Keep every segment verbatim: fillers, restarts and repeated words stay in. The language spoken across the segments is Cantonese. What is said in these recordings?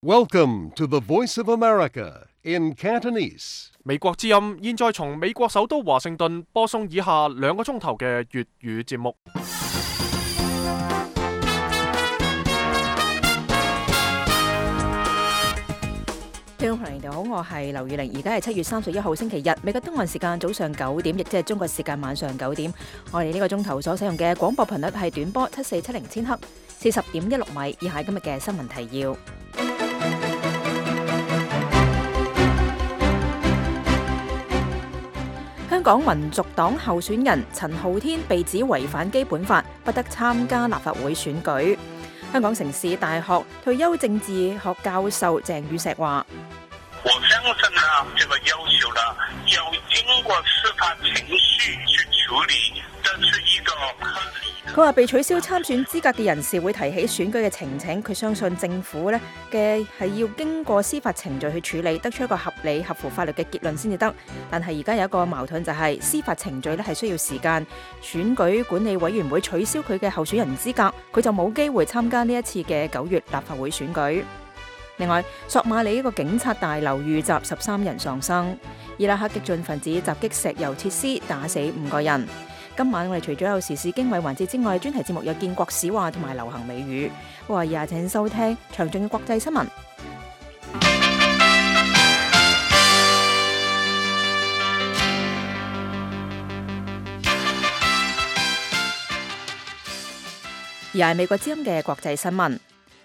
Welcome to the Voice of America in Cantonese. 美國之音現在從美國首都華盛頓播送以下兩個鐘頭嘅粵語節目。聽眾朋友你好，我係劉宇玲，而家係七月三十一號星期日，美國東岸時間早上九點，亦即係中國時間晚上九點。我哋呢個鐘頭所使用嘅廣播頻率係短波七四七零千赫，四十點一六米。以下今日嘅新聞提要。香港民族黨候選人陳浩天被指違反基本法，不得參加立法會選舉。香港城市大學退休政治學教授鄭宇碩話：我相信呢，這個要求呢，要經過司法程序去處理，這是一個合理。佢話被取消參選資格嘅人士會提起選舉嘅呈請，佢相信政府呢嘅係要經過司法程序去處理，得出一個合理、合乎法律嘅結論先至得。但係而家有一個矛盾就係司法程序呢係需要時間，選舉管理委員會取消佢嘅候選人資格，佢就冇機會參加呢一次嘅九月立法會選舉。另外，索馬里一個警察大樓遇襲，十三人喪生。伊拉克激進分子襲擊石油設施，打死五個人。今晚我哋除咗有時事經緯環節之外，專題節目有建國史話同埋流行美語。我話廿請收聽詳盡嘅國際新聞。而係美國之音嘅國際新聞。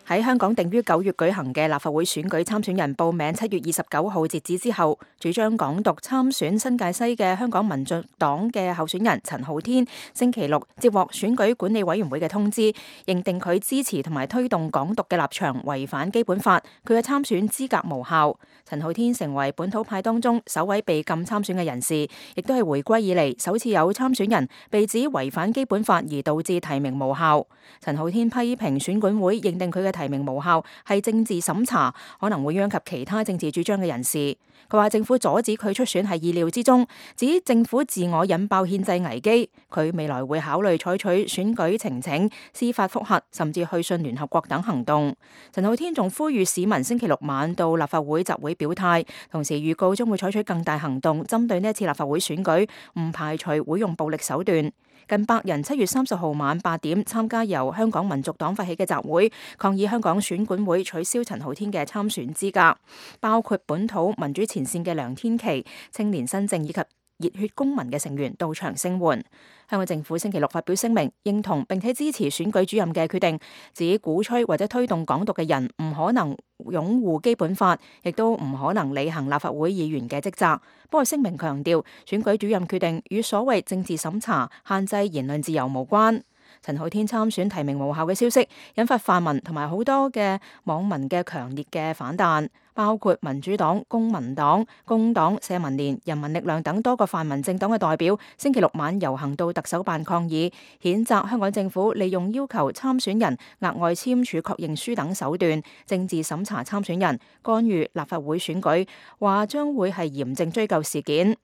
喺香港定於九月舉行嘅立法會選舉參選人報名七月二十九號截止之後，主張港獨參選新界西嘅香港民族黨嘅候選人陳浩天，星期六接獲選舉管理委員會嘅通知，認定佢支持同埋推動港獨嘅立場違反基本法，佢嘅參選資格無效。陳浩天成為本土派當中首位被禁參選嘅人士，亦都係回歸以嚟首次有參選人被指違反基本法而導致提名無效。陳浩天批評選管會認定佢嘅提名無效係政治審查，可能會殃及其他政治主張嘅人士。佢話政府阻止佢出選係意料之中，指政府自我引爆憲制危機。佢未來會考慮採取選舉呈請、司法覆核，甚至去信聯合國等行動。陳浩天仲呼籲市民星期六晚到立法會集會表態，同時預告將會採取更大行動針對呢一次立法會選舉，唔排除會用暴力手段。近百人七月三十號晚八點參加由香港民族黨發起嘅集會，抗議香港選管會取消陳浩天嘅參選資格，包括本土民主前線嘅梁天琦、青年新政以及熱血公民嘅成員到場聲援。香港政府星期六發表聲明，認同並且支持選舉主任嘅決定，指鼓吹或者推動港獨嘅人唔可能擁護基本法，亦都唔可能履行立法會議員嘅職責。不過聲明強調，選舉主任決定與所謂政治審查、限制言論自由無關。陳浩天參選提名無效嘅消息，引發泛民同埋好多嘅網民嘅強烈嘅反彈，包括民主黨、公民黨、工黨、社民連、人民力量等多個泛民政黨嘅代表，星期六晚遊行到特首辦抗議，譴責香港政府利用要求參選人額外簽署確認書等手段，政治審查參選人，干預立法會選舉，話將會係嚴正追究事件。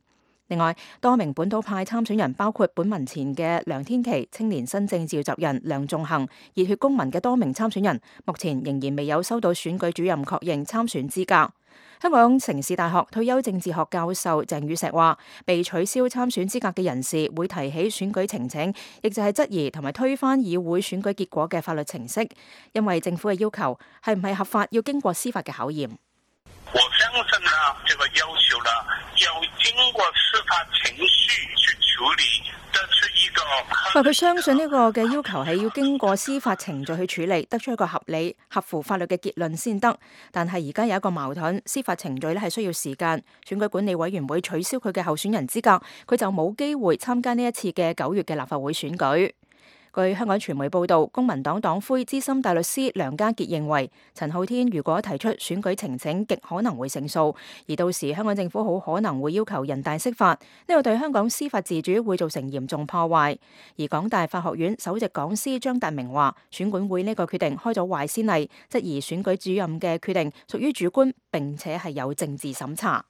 另外，多名本土派參選人，包括本民前嘅梁天琦、青年新政召集人梁頌恆、熱血公民嘅多名參選人，目前仍然未有收到選舉主任確認參選資格。香港城市大學退休政治學教授鄭宇碩話：被取消參選資格嘅人士會提起選舉呈請，亦就係質疑同埋推翻議會選舉結果嘅法律程式，因為政府嘅要求係唔係合法，要經過司法嘅考驗。我相信呢，這個要求呢，要經過司法程序去處理，這是一個。佢佢相信呢個嘅要求係要經過司法程序去處理，得出一個合理、合乎法律嘅結論先得。但係而家有一個矛盾，司法程序咧係需要時間，選舉管理委員會取消佢嘅候選人資格，佢就冇機會參加呢一次嘅九月嘅立法會選舉。據香港傳媒報道，公民黨黨魁資深大律師梁家傑認為，陳浩天如果提出選舉呈請，極可能會勝訴，而到時香港政府好可能會要求人大釋法，呢個對香港司法自主會造成嚴重破壞。而港大法學院首席講師張達明話，選管會呢個決定開咗壞先例，質疑選舉主任嘅決定屬於主觀，並且係有政治審查。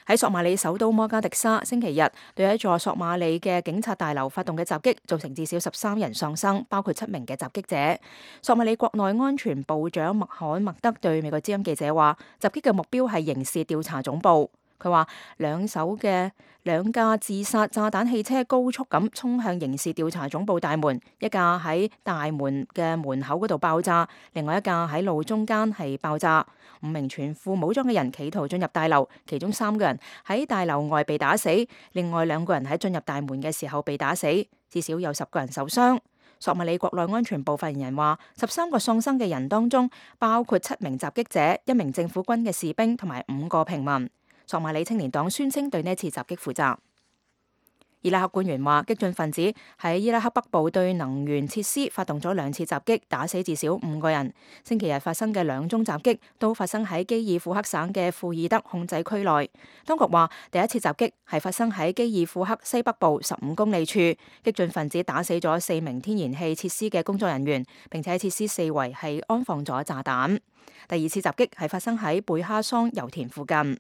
喺索馬里首都摩加迪沙，星期日對一座索馬里嘅警察大樓發動嘅襲擊，造成至少十三人喪生，包括七名嘅襲擊者。索馬里國內安全部長麥罕默德對美國之音記者話，襲擊嘅目標係刑事調查總部。佢話兩手嘅兩架自殺炸彈汽車高速咁衝向刑事調查總部大門，一架喺大門嘅門口嗰度爆炸，另外一架喺路中間係爆炸。五名全副武裝嘅人企圖進入大樓，其中三個人喺大樓外被打死，另外兩個人喺進入大門嘅時候被打死，至少有十個人受傷。索馬里國內安全部發言人話，十三個喪生嘅人當中包括七名襲擊者、一名政府軍嘅士兵同埋五個平民。索馬里青年黨宣稱對呢次襲擊負責。伊拉克官員話，激進分子喺伊拉克北部對能源設施發動咗兩次襲擊，打死至少五個人。星期日發生嘅兩宗襲擊都發生喺基爾庫克省嘅庫爾德控制區內。當局話，第一次襲擊係發生喺基爾庫克西北部十五公里處，激進分子打死咗四名天然氣設施嘅工作人員，並且喺設施四圍係安放咗炸彈。第二次襲擊係發生喺貝哈桑油田附近。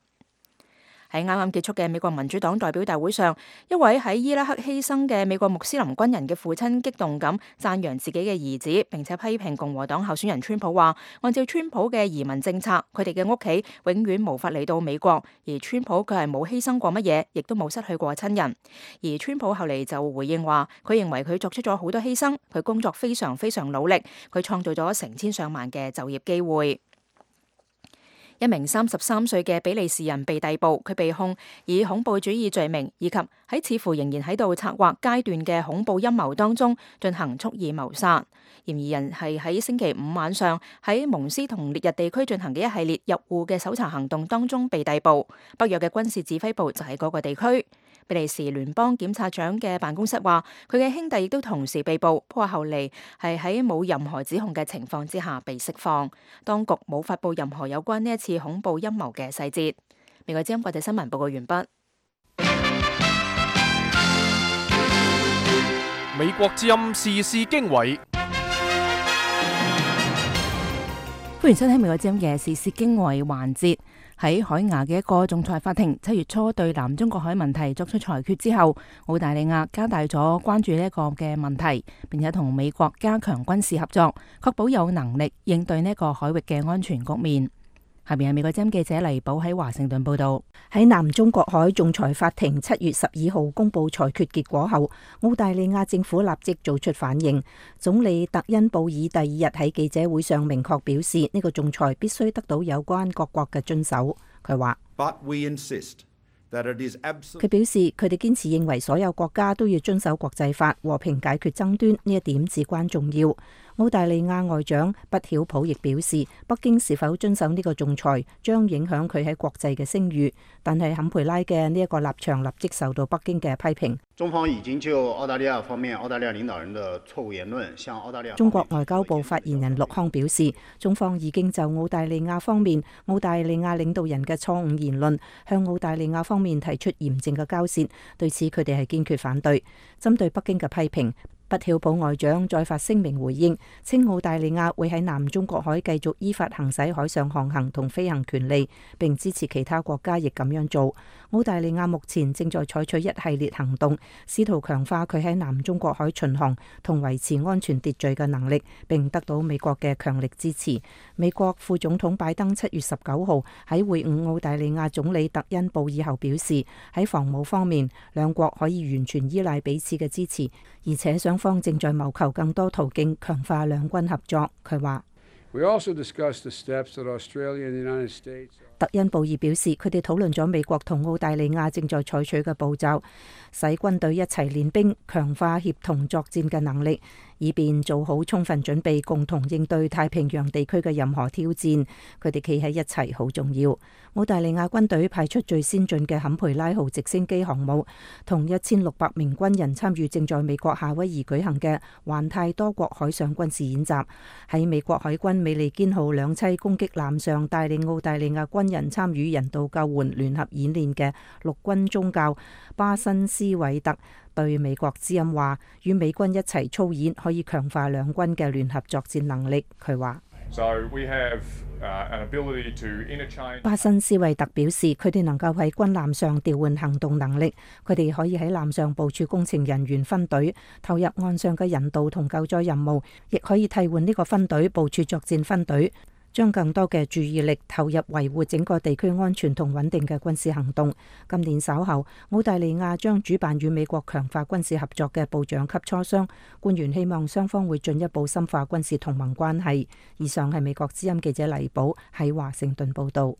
喺啱啱結束嘅美國民主黨代表大會上，一位喺伊拉克犧牲嘅美國穆斯林軍人嘅父親激動咁讚揚自己嘅兒子，並且批評共和黨候選人川普話，按照川普嘅移民政策，佢哋嘅屋企永遠無法嚟到美國，而川普佢係冇犧牲過乜嘢，亦都冇失去過親人。而川普後嚟就回應話，佢認為佢作出咗好多犧牲，佢工作非常非常努力，佢創造咗成千上萬嘅就業機會。一名三十三歲嘅比利時人被逮捕，佢被控以恐怖主義罪名，以及喺似乎仍然喺度策劃階段嘅恐怖陰謀當中進行蓄意謀殺。嫌疑人係喺星期五晚上喺蒙斯同烈日地區進行嘅一系列入戶嘅搜查行動當中被逮捕。北約嘅軍事指揮部就喺嗰個地區。比利時聯邦檢察長嘅辦公室話，佢嘅兄弟亦都同時被捕，不過後嚟係喺冇任何指控嘅情況之下被釋放。當局冇發布任何有關呢一次恐怖陰謀嘅細節。美國之音國際新聞報告完畢。美國之音時事經緯，歡迎收聽美國之音嘅時事經緯環節。喺海牙嘅一個仲裁法庭七月初對南中國海問題作出裁決之後，澳大利亞加大咗關注呢一個嘅問題，並且同美國加強軍事合作，確保有能力應對呢一個海域嘅安全局面。下邊係美國之音記者黎寶喺華盛頓報道。喺南中國海仲裁法庭七月十二號公布裁決結果後，澳大利亞政府立即做出反應。總理特恩布爾第二日喺記者會上明確表示，呢、這個仲裁必須得到有關各國嘅遵守。佢話，佢表示佢哋堅持認為所有國家都要遵守國際法，和平解決爭端，呢一點至關重要。澳大利亞外長畢曉普亦表示，北京是否遵守呢個仲裁將影響佢喺國際嘅聲譽，但係坎培拉嘅呢一個立場立即受到北京嘅批評。中方已經就澳大利亞方面澳大利亞領導人的錯誤言論向澳大利亞。中國外交部發言人陸康表示，中方已經就澳大利亞方面澳大利亞領導人嘅錯誤言論向澳大利亞方面提出嚴正嘅交涉，對此佢哋係堅決反對。針對北京嘅批評，畢曉普外長再發聲明回應，稱澳大利亞會喺南中國海繼續依法行使海上航行同飛行權利，並支持其他國家亦咁樣做。澳大利亞目前正在採取一系列行動，試圖強化佢喺南中國海巡航同維持安全秩序嘅能力，並得到美國嘅強力支持。美國副總統拜登七月十九號喺會晤澳大利亞總理特恩布爾後表示，喺防務方面，兩國可以完全依賴彼此嘅支持，而且雙方正在謀求更多途徑強化兩軍合作。佢話，特恩布爾表示，佢哋討論咗美國同澳大利亞正在採取嘅步驟，使軍隊一齊練兵，強化協同作戰嘅能力，以便做好充分準備，共同應對太平洋地區嘅任何挑戰。佢哋企喺一齊好重要。澳大利亞軍隊派出最先進嘅坎培拉號直升機航母，同一千六百名軍人參與正在美國夏威夷舉行嘅環太多國海上軍事演習。喺美國海軍美利堅號兩棲攻擊艦上帶領澳大利亞軍人參與人道救援聯合演練嘅陸軍中校巴辛斯韋特對美國之音話，與美軍一齊操演可以強化兩軍嘅聯合作戰能力。佢話， So we have uh, an ability to interchange. 巴辛斯維特表示，佢哋能夠喺軍艦上調換行動能力，佢哋可以喺艦上部署工程人員分隊，投入岸上嘅人道同救助任務，亦可以替換呢個分隊部署作戰分隊，將更多嘅注意力投入維護整個地區安全同穩定嘅軍事行動。今年稍後，澳大利亞將主辦與美國強化軍事合作嘅部長級磋商，官員希望雙方會進一步深化軍事同盟關係。以上係美國之音記者黎寶喺華盛頓報導。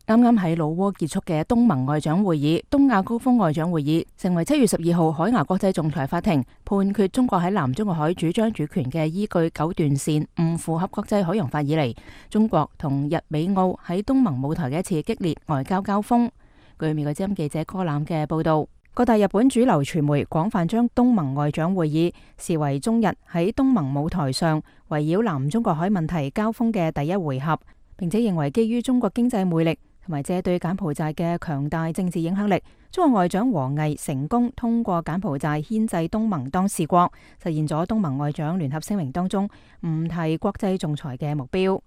啱啱喺老撾結束嘅東盟外長會議、東亞高峰外長會議，成為七月十二號海牙國際仲裁法庭判決中國喺南中國海主張主權嘅依據九段線唔符合國際海洋法以嚟，中國同日美澳喺東盟舞台嘅一次激烈外交交鋒。據美國之音記者柯攬嘅報道，各大日本主流傳媒廣泛將東盟外長會議視為中日喺東盟舞台上圍繞南中國海問題交鋒嘅第一回合，並且認為基於中國經濟魅力同埋借對柬埔寨嘅強大政治影響力，中國外長王毅成功通過柬埔寨牽制東盟當事國，實現咗東盟外長聯合聲明當中唔提國際仲裁嘅目標。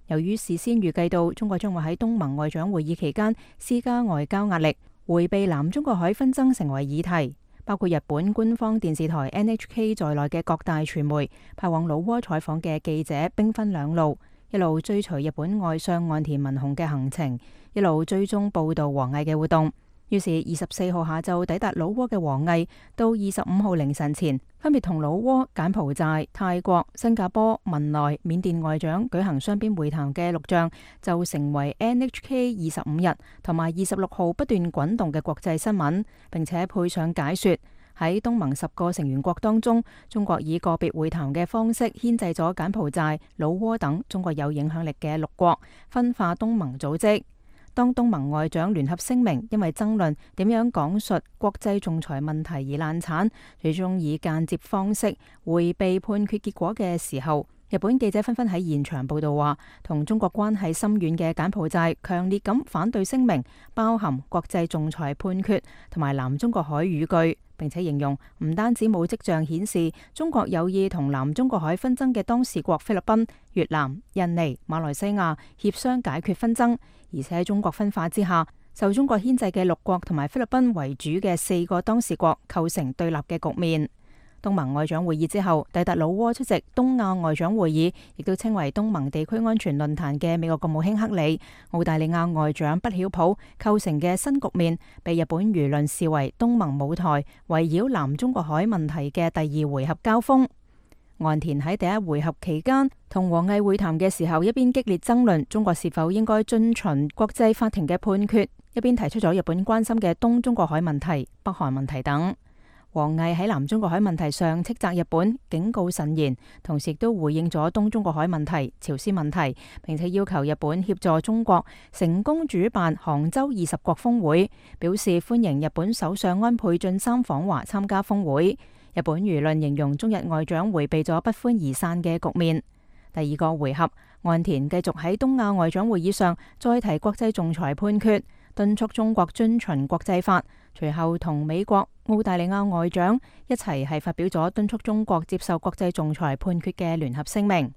由於事先預計到中國將會喺東盟外長會議期間施加外交壓力，迴避南中國海紛爭成為議題，包括日本官方電視台 N H K 在內嘅各大傳媒派往老撾採訪嘅記者兵分兩路，一路追隨日本外相岸田文雄嘅行程，一路追蹤報道王毅嘅活動。於是二十四號下晝抵達老撾嘅王毅，到二十五號凌晨前，分別同老撾、柬埔寨、泰國、新加坡、文萊、緬甸外長舉行雙邊會談嘅錄像，就成為 N H K 二十五日同埋二十六號不斷滾動嘅國際新聞，並且配上解說。喺東盟十個成員國當中，中國以個別會談嘅方式牽制咗柬埔寨、老撾等中國有影響力嘅六國，分化東盟組織。當東盟外長聯合聲明因為爭論點樣講述國際仲裁問題而爛產，最終以間接方式迴避判決結果嘅時候，日本記者紛紛喺現場報道話，同中國關係深遠嘅柬埔寨強烈咁反對聲明包含國際仲裁判決同埋南中國海語句，並且形容唔單止冇跡象顯示中國有意同南中國海紛爭嘅當事國菲律賓、越南、印尼、馬來西亞協商解決紛爭，而且喺中國分化之下，受中國牽制嘅六國同埋菲律賓為主嘅四個當事國構成對立嘅局面。東盟外長會議之後，抵達老撾出席東亞外長會議，亦都稱為東盟地區安全論壇嘅美國國務卿克里、澳大利亞外長畢曉普構成嘅新局面，被日本輿論視為東盟舞台圍繞南中國海問題嘅第二回合交鋒。岸田喺第一回合期間同王毅會談嘅時候，一邊激烈爭論中國是否應該遵循國際法庭嘅判決，一邊提出咗日本關心嘅東中國海問題、北韓問題等。王毅喺南中國海問題上斥責日本，警告慎言，同時亦都回應咗東中國海問題、朝鮮問題，並且要求日本協助中國成功主辦杭州二十國峰會，表示歡迎日本首相安倍晉三訪華參加峰會。日本輿論形容中日外長迴避咗不歡而散嘅局面。第二個回合，岸田繼續喺東亞外長會議上再提國際仲裁判決，敦促中國遵循國際法。隨後同美國、澳大利亞外長一齊係發表咗敦促中國接受國際仲裁判決嘅聯合聲明。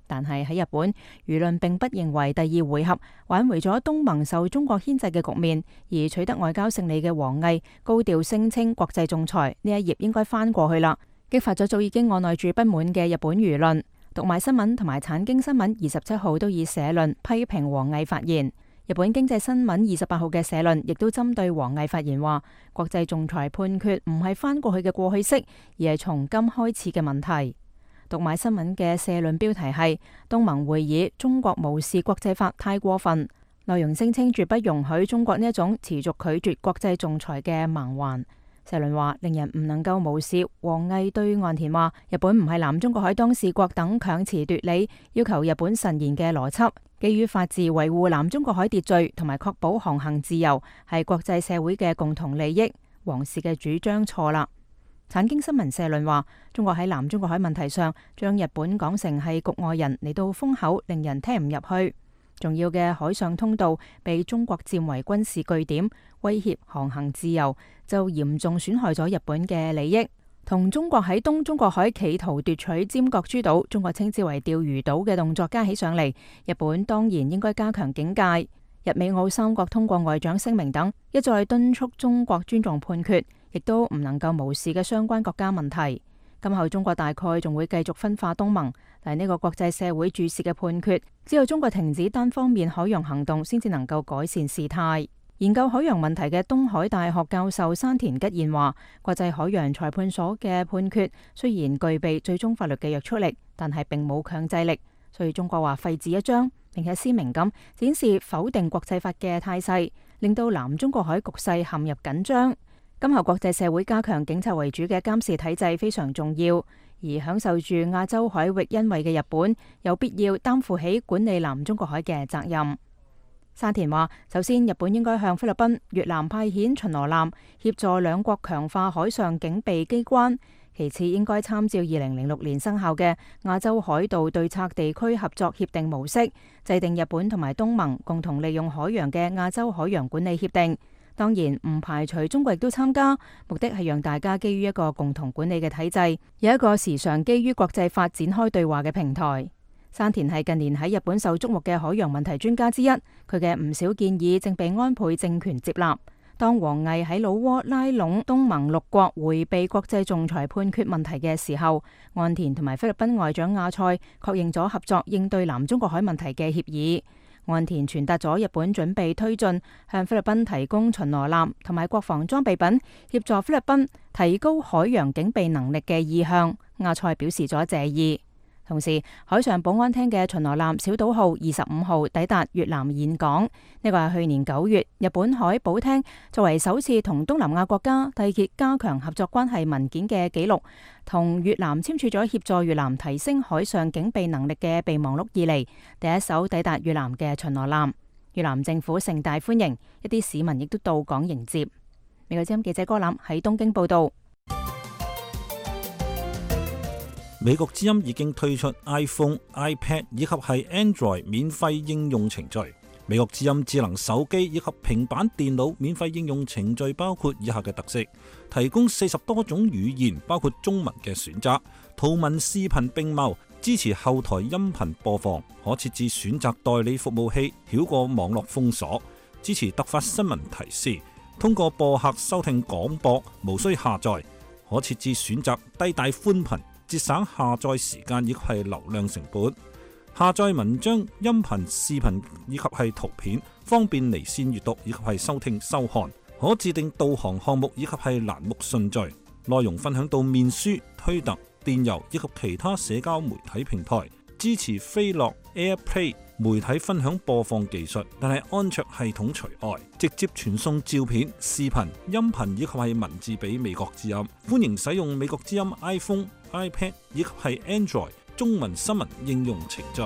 但係喺日本，輿論並不認為第二回合挽回咗東盟受中國牽制嘅局面，而取得外交勝利嘅王毅高調聲稱國際仲裁呢一頁應該翻過去啦，激發咗早已經按捺住不滿嘅日本輿論。讀賣新聞同埋產經新聞二十七號都以社論批評王毅發言。日本經濟新聞二十八號嘅社論亦都針對王毅發言話，國際仲裁判決唔係翻過去嘅過去式，而係從今開始嘅問題。讀賣新聞嘅社論標題係東盟會議，中國無視國際法太過分，內容聲稱絕不容許中國呢一種持續拒絕國際仲裁嘅盲環。社論話，令人唔能夠無視王毅對岸田話日本唔係南中國海當事國等強詞奪理，要求日本慎言嘅邏輯。基於法治維護南中國海秩序同埋確保航行自由係國際社會嘅共同利益，王氏嘅主張錯啦。產經新聞社論話，中國喺南中國海問題上將日本講成係局外人嚟到封口，令人聽唔入去。重要嘅海上通道被中國佔為軍事據點，威脅航行自由，就嚴重損害咗日本嘅利益。同中國喺東中國海企圖奪取尖閣諸島，中國稱之為釣魚島嘅動作加起上嚟，日本當然應該加強警戒。日美澳三國通過外長聲明等，一再敦促中國尊重判決，亦都唔能夠無視嘅相關國家問題。今後中國大概仲會繼續分化東盟，但係呢個國際社會注視嘅判決，只有中國停止單方面海洋行動，先至能夠改善事態。研究海洋問題嘅東海大學教授山田吉彥話，國際海洋裁判所嘅判決雖然具備最終法律嘅約束力，但係並冇強制力，所以中國話廢紙一張，並且鮮明咁展示否定國際法嘅態勢，令到南中國海局勢陷入緊張。今後國際社會加強警察為主嘅監視體制非常重要，而享受住亞洲海域恩惠嘅日本有必要擔負起管理南中國海嘅責任。山田話，首先日本應該向菲律賓、越南派遣巡邏艦協助兩國強化海上警備機關，其次應該參照二零零六年生效嘅亞洲海盜對策地區合作協定模式，制定日本同埋東盟共同利用海洋嘅亞洲海洋管理協定。當然唔排除中國亦都參加，目的係讓大家基於一個共同管理嘅體制，有一個時常基於國際法展開對話嘅平台。山田係近年喺日本受矚目嘅海洋問題專家之一，佢嘅唔少建議正被安倍政權接納。當王毅喺老撾拉攏東盟六國迴避國際仲裁判決問題嘅時候，岸田同埋菲律賓外長亞塞確認咗合作應對南中國海問題嘅協議。岸田傳達咗日本準備推進向菲律賓提供巡邏艦同埋國防裝備品，協助菲律賓提高海洋警備能力嘅意向。亞塞表示咗謝意。同時，海上保安廳嘅巡邏艦小島號二十五號抵達越南峴港，呢個係去年九月日本海保廳作為首次同東南亞國家締結加強合作關係文件嘅紀錄，同越南簽署咗協助越南提升海上警備能力嘅備忘錄以嚟第一艘抵達越南嘅巡邏艦。越南政府盛大歡迎，一啲市民亦都到港迎接。美國之音記者歌林喺東京報道。美國之音已經推出 iPhone、iPad 以及係 Android 免費應用程序。美國之音智能手機以及平板電腦免費應用程序包括以下嘅特色：提供四十多種語言，包括中文嘅選擇，圖文視頻並茂，支持後台音頻播放，可設置選擇代理服務器，繞過網絡封鎖，支持突發新聞提示，通過播客收聽廣播，無需下載，可設置選擇低帶寬頻，節省下載時間以及係流量成本，下載文章、音頻、視頻以及係圖片，方便離線閱讀以及係收聽收看，可自定導航項目以及係欄目順序，內容分享到面書、推特、電郵以及其他社交媒體平台，支持飛樂 AirPlay 媒體分享播放技術，但係安卓系統除外，直接傳送照片、視頻、音頻以及係文字俾美國之音。歡迎使用美國之音 iPhone、iPad 以及係 Android 中文新聞應用程序。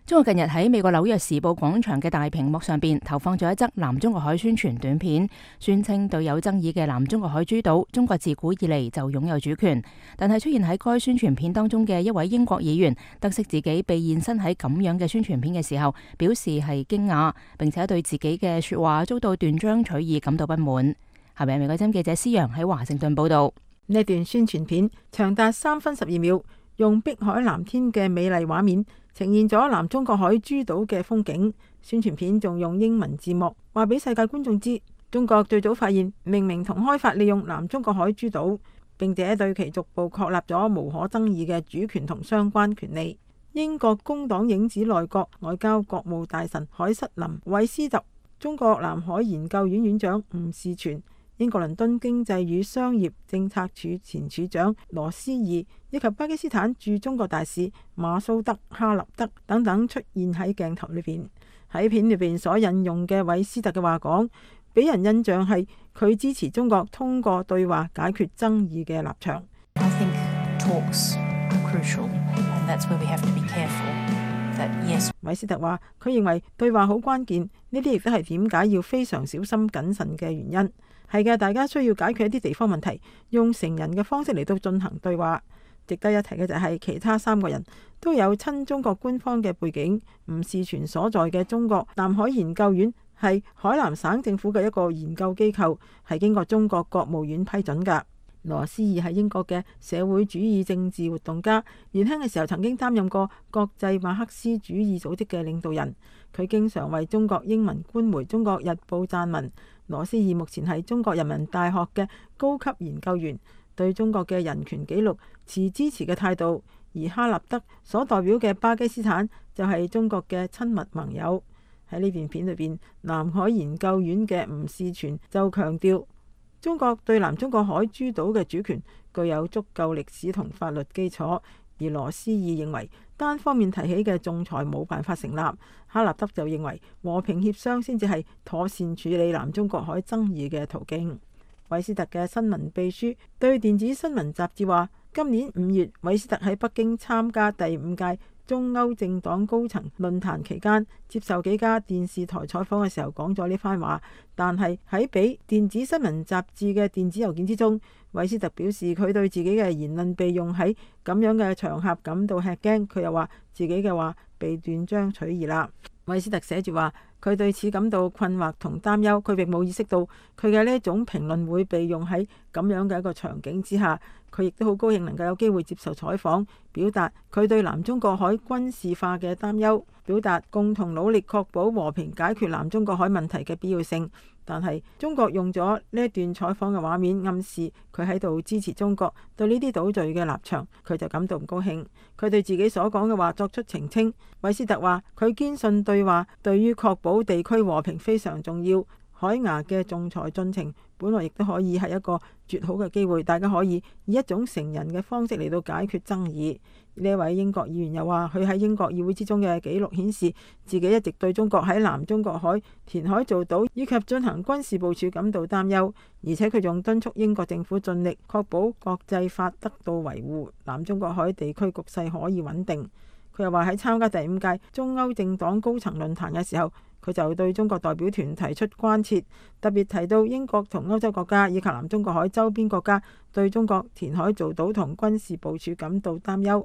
中國近日喺美國紐約時報廣場嘅大屏幕上邊投放咗一則南中國海宣傳短片，宣稱對有爭議嘅南中國海諸島，中國自古以嚟就擁有主權。但係出現喺該宣傳片當中嘅一位英國議員，得悉自己被現身喺咁樣嘅宣傳片嘅時候，表示係驚訝，並且對自己嘅說話遭到斷章取義感到不滿。下面美國之音記者施陽喺華盛頓報道。呢段宣傳片長達三分十二秒，用碧海藍天嘅美麗畫面呈現咗南中國海諸島嘅風景。宣傳片仲用英文字幕話俾世界觀眾知，中國最早發現、命名同開發利用南中國海諸島，並且對其逐步確立咗無可爭議嘅主權同相關權利。英國工黨影子內閣外交國務大臣海瑟琳·韋斯特、中國南海研究院院長吳士全、英國倫敦經濟與商業政策處前處長羅斯義以及巴基斯坦駐中國大使馬蘇德·哈立德等等出現喺鏡頭裏邊。喺片裏邊所引用嘅韋斯特嘅話講，俾人印象係佢支持中國通過對話解決爭議嘅立場。I think talks are crucial, and that's where we have to be careful that yes. 韋斯特話，佢認為對話好關鍵，呢啲亦都係點解要非常小心謹慎嘅原因。係嘅，大家需要解決一啲地方問題，用成人嘅方式嚟到進行對話。值得一提嘅就係其他三個人都有親中國官方嘅背景。吳士全所在嘅中國南海研究院係海南省政府嘅一個研究機構，係經過中國國務院批准㗎。羅斯義係英國嘅社會主義政治活動家，年輕嘅時候曾經擔任過國際馬克思主義組織嘅領導人。佢經常為中國英文官媒《中國日報》撰文。羅斯義目前係中國人民大學嘅高級研究員，對中國嘅人權紀錄持支持嘅態度。而哈立德所代表嘅巴基斯坦就係中國嘅親密盟友。喺呢段片裏邊，南海研究院嘅吳士全就強調，中國對南中國海諸島嘅主權具有足夠歷史同法律基礎，而羅斯義認為單方面提起嘅仲裁冇辦法成立。哈立德就認為和平協商先至係妥善處理南中國海爭議嘅途徑。韋斯特嘅新聞秘書對電子新聞雜誌話，今年五月，韋斯特喺北京參加第五屆中歐政黨高層論壇期間，接受幾家電視台採訪嘅時候講咗呢番話。但係喺俾電子新聞雜誌嘅電子郵件之中，韋斯特表示佢對自己嘅言論被用喺咁樣嘅場合感到吃驚。佢又話自己嘅話被斷章取義啦。韋斯特寫住話，佢對此感到困惑同擔憂，佢並冇意識到佢嘅呢一種評論會被用喺咁樣嘅一個場景之下。佢亦都好高興能夠有機會接受採訪，表達佢對南中國海軍事化嘅擔憂，表達共同努力確保和平解決南中國海問題嘅必要性。但係中國用咗呢一段採訪嘅畫面暗示佢喺度支持中國對呢啲島嶼嘅立場，佢就感到唔高興。佢對自己所講嘅話作出澄清。韋斯特話佢堅信對話對於確保地區和平非常重要。海牙嘅仲裁進程本來亦都可以係一個絕好嘅機會，大家可以以一種成人嘅方式嚟到解決爭議。呢位英國議員又話，佢喺英國議會之中嘅記錄顯示，自己一直對中國喺南中國海填海造島以及進行軍事部署感到擔憂，而且佢仲敦促英國政府盡力確保國際法得到維護，南中國海地區局勢可以穩定。佢又話喺參加第五屆中歐政黨高層論壇嘅時候，佢就對中國代表團提出關切，特別提到英國同歐洲國家以及南中國海周邊國家對中國填海造島同軍事部署感到擔憂。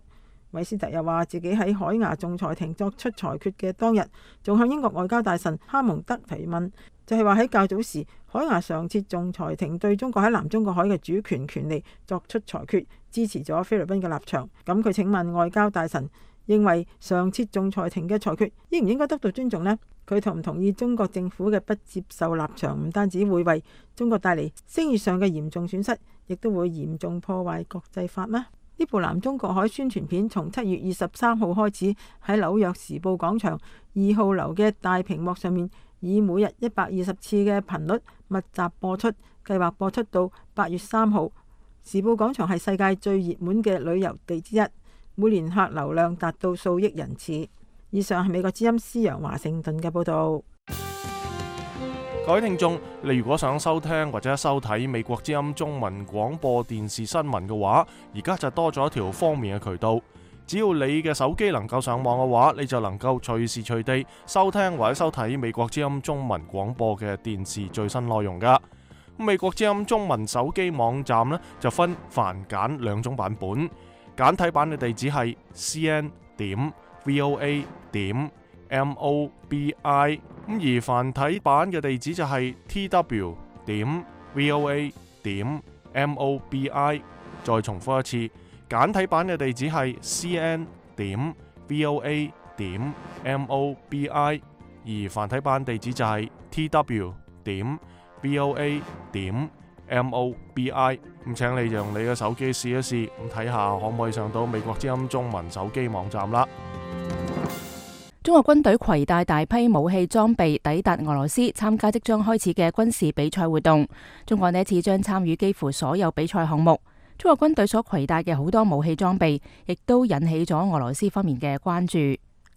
韋斯特又話自己喺海牙仲裁庭作出裁決嘅當日，仲向英國外交大臣哈蒙德提問，就係話喺較早時海牙常設仲裁庭對中國喺南中國海嘅主權權利作出裁決，支持咗菲律賓嘅立場。咁佢請問外交大臣，認為常設仲裁庭嘅裁決應唔應該得到尊重呢？佢同唔同意中國政府嘅不接受立場，唔單止會為中國帶嚟聲譽上嘅嚴重損失，亦都會嚴重破壞國際法呢？呢部南中國海宣傳片從七月二十三號開始喺紐約時報廣場二號樓嘅大屏幕上面，以每日一百二十次嘅頻率密集播出，計劃播出到八月三號。時報廣場係世界最熱門嘅旅遊地之一，每年客流量達到數億人次。以上係美國之音施陽華盛頓嘅報導。各位聽眾，你如果想收聽或者收睇美國之音中文廣播電視新聞嘅話，而家就多咗一條方便嘅渠道。只要你嘅手機能夠上網嘅話，你就能夠隨時隨地收聽或者收睇美國之音中文廣播嘅電視最新內容噶。美國之音中文手機網站呢，就分繁簡兩種版本，簡體版嘅地址係 c n 點 v o a 點 m o b i， 咁而繁體版嘅地址就係 t w 點 v o a 點 m o b i。 再重複一次，簡體版嘅地址係 c n 點 v o a 點 m o b i， 而繁體版地址就係 t w 點 v o a 點 m o b i。 咁請你用你嘅手機試一試，咁睇下可唔可以上到美國之音中文手機網站啦。中國軍隊攜帶大批武器裝備抵達俄羅斯，參加即將開始嘅軍事比賽活動。中國呢一次將參與幾乎所有比賽項目。中國軍隊所攜帶嘅好多武器裝備，亦都引起咗俄羅斯方面嘅關注。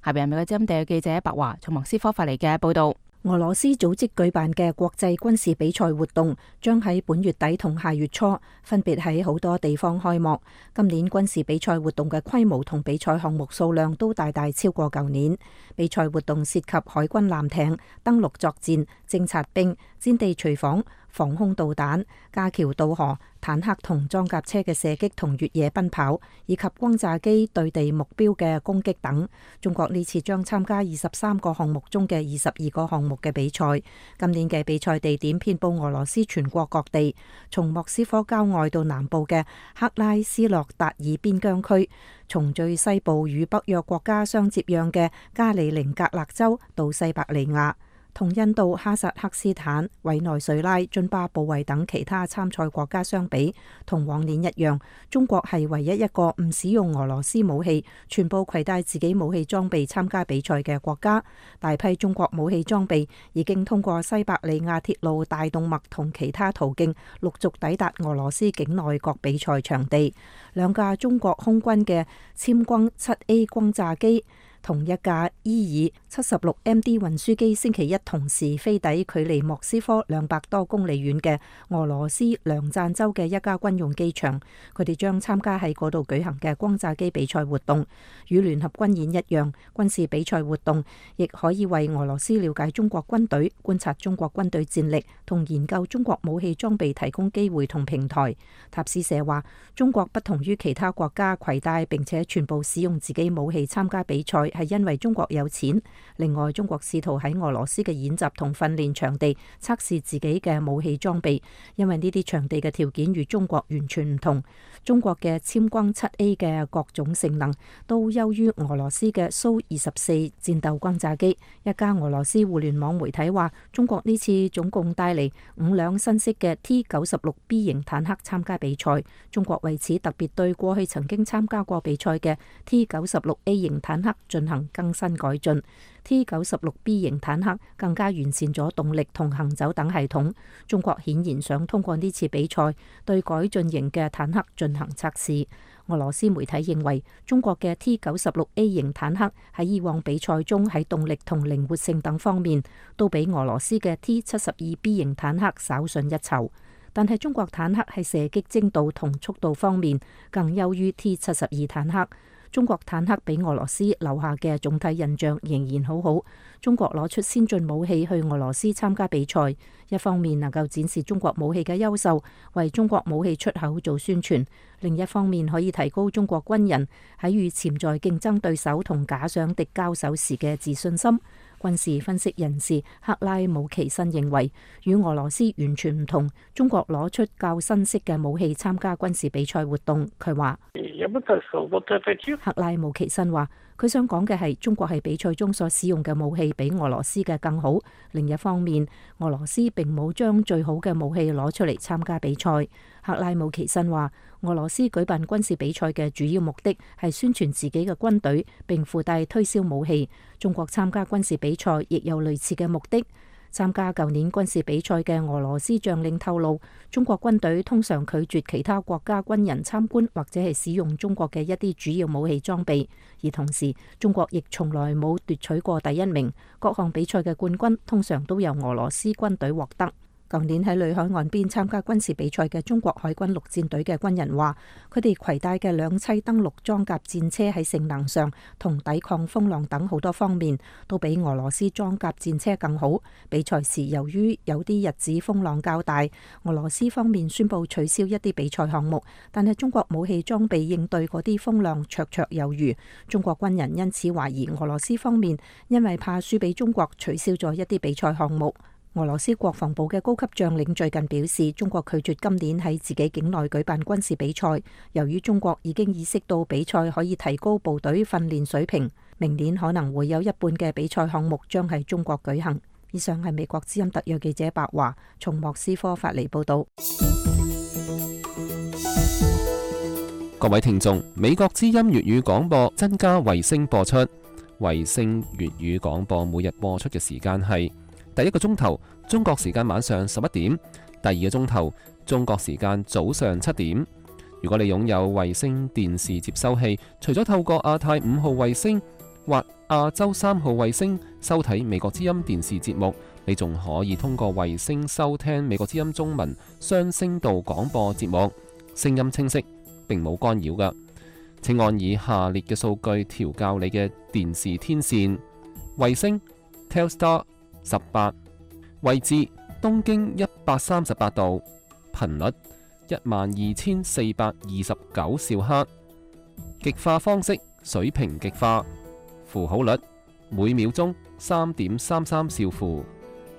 下邊係美國之音地嘅記者白華從莫斯科發嚟嘅報道。俄羅斯組織舉辦嘅國際軍事比賽活動將喺本月底同下月初分別喺好多地方開幕。今年軍事比賽活動嘅規模同比賽項目數量都大大超過舊年。比賽活動涉及海軍艦艇、登陸作戰、偵察兵、戰地隨訪、防空導彈、架橋渡河、坦克同裝甲車嘅射擊同越野奔跑，以及轟炸機對地目標嘅攻擊等。中國呢次將參加二十三個項目中嘅二十二個項目嘅比賽。今年嘅比賽地點遍佈俄羅斯全國各地，從莫斯科郊外到南部嘅克拉斯諾達爾邊疆區，從最西部與北約國家相接壤嘅加里寧格勒州到西伯利亞，同印度、哈薩克斯坦、委內瑞拉、津巴布韋等其他參賽國家相比，同往年一樣，中國係唯一一個唔使用俄羅斯武器，全部攜帶自己武器裝備參加比賽嘅國家。大批中國武器裝備已經通過西伯利亞鐵路大動脈同其他途徑陸續抵達俄羅斯境內各比賽場地。兩架中國空軍嘅殲轟七 A 轟炸機同一架伊爾七十六 M D 運輸機星期一同時飛抵距離莫斯科兩百多公里遠嘅俄羅斯梁贊州嘅一家軍用機場，佢哋將參加喺嗰度舉行嘅轟炸機比賽活動。與聯合軍演一樣，軍事比賽活動亦可以為俄羅斯了解中國軍隊、觀察中國軍隊戰力同研究中國武器裝備提供機會同平台。塔斯社話，中國不同於其他國家攜帶並且全部使用自己武器參加比賽，係因為中國有錢。另外，中國試圖喺俄羅斯嘅演習同訓練場地測試自己嘅武器裝備，因為呢啲場地嘅條件與中國完全唔同。中國嘅殲轟七 A 嘅各種性能都優於俄羅斯嘅蘇二十四戰鬥轟炸機。一家俄羅斯互聯網媒體話，中國呢次總共帶嚟五輛新式嘅 T 九十六 B 型坦克參加比賽。中國為此特別對過去曾經參加過比賽嘅 T 九十六 A 型坦克進行更新改進。T 九十六 B 型坦克更加完善咗動力同行走等系統。中國顯然想通過呢次比賽對改進型嘅坦克進行測試。俄羅斯媒體認為，中國嘅 T 九十六 A 型坦克喺以往比賽中喺動力同靈活性等方面都比俄羅斯嘅 T 七十二 B 型坦克稍遜一籌，但係中國坦克喺射擊精度同速度方面更優於 T 七十二坦克。中國坦克俾俄羅斯留下嘅總體印象仍然好好。中國攞出先進武器去俄羅斯參加比賽，一方面能夠展示中國武器嘅優秀，為中國武器出口做宣傳；另一方面可以提高中國軍人喺與潛在競爭對手同假想敵交手時嘅自信心。軍事分析人士克拉姆奇申認為，與俄羅斯完全唔同，中國攞出較新式嘅武器參加軍事比賽活動。佢話：克拉姆奇申話，佢想講嘅係中國喺比賽中所使用嘅武器比俄羅斯嘅更好。另一方面，俄羅斯並冇將最好嘅武器攞出嚟參加比賽。克拉姆奇申話，俄羅斯舉辦軍事比賽嘅主要目的係宣傳自己嘅軍隊，並附帶推銷武器。中國參加軍事比賽亦有類似嘅目的。參加舊年軍事比賽嘅俄羅斯將領透露，中國軍隊通常拒絕其他國家軍人參觀或者係使用中國嘅一啲主要武器裝備，而同時中國亦從來冇奪取過第一名，各項比賽嘅冠軍通常都由俄羅斯軍隊獲得。舊年喺裏海岸邊參加軍事比賽嘅中國海軍陸戰隊嘅軍人話，佢哋攜帶嘅兩棲登陸裝甲戰車喺性能上同抵抗風浪等好多方面都比俄羅斯裝甲戰車更好。比賽時由於有啲日子風浪較大，俄羅斯方面宣布取消一啲比賽項目，但係中國武器裝備應對嗰啲風浪綽綽有餘。中國軍人因此懷疑俄羅斯方面因為怕輸俾中國取消咗一啲比賽項目。俄羅斯國防部嘅高級將領最近表示，中國拒絕今年喺自己境內舉辦軍事比賽，由於中國已經意識到比賽可以提高部隊訓練水平，明年可能會有一半嘅比賽項目將喺中國舉行。以上係美國之音特約記者白華從莫斯科發嚟報道。各位聽眾，美國之音粵語廣播增加衛星播出，衛星粵語廣播每日播出嘅時間係第一個鐘頭中國時間晚上十一點，第二個鐘頭中國時間早上七點。如果你擁有衛星電視接收器，除咗透過亞太五號衛星或亞洲三號衛星收睇美國之音電視節目，你仲可以通過衛星收聽美國之音中文雙聲道廣播節目，聲音清晰，並冇干擾㗎。請按以下列嘅數據調校你嘅電視天線：衛星 Telstar 十八，位置東經一百三十八度，頻率一萬二千四百二十九兆赫。極化方式水平極化，符號率每秒鐘三點三三兆符，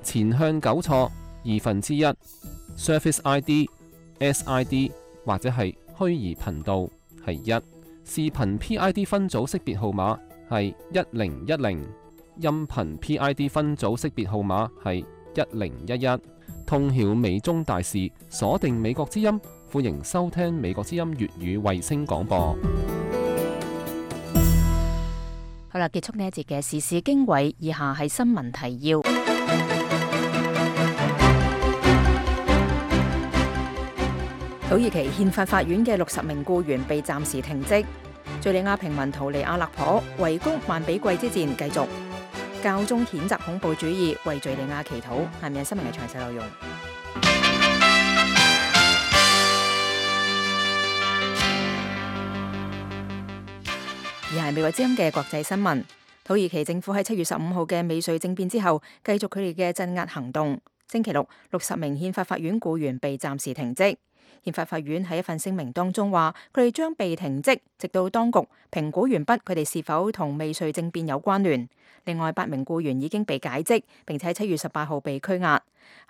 前向糾錯二分之一 ，Surface I D、S I D 或者係虛擬頻道係一，視頻 P I D 分組識別號碼係一零一零，音頻 P I D 分組識別號碼係一零一一。通曉美中大事，鎖定美國之音，歡迎收聽美國之音粵語衛星廣播。好啦，結束呢一節嘅時事經緯，以下係新聞提要。土耳其憲法法院嘅六十名僱員被暫時停職。敘利亞平民逃離阿勒頗，圍攻曼比季之戰繼續。教宗譴責恐怖主義，為敘利亞祈禱。下面係新聞嘅詳細內容。而係美國之音嘅國際新聞。土耳其政府喺七月十五號嘅未遂政變之後，繼續佢哋嘅鎮壓行動。星期六，六十名憲法法院僱員被暫時停職。憲法法院喺一份聲明當中話，佢哋將被停職，直到當局評估完畢佢哋是否同未遂政變有關聯。另外八名僱員已經被解職，並且喺七月十八號被拘押。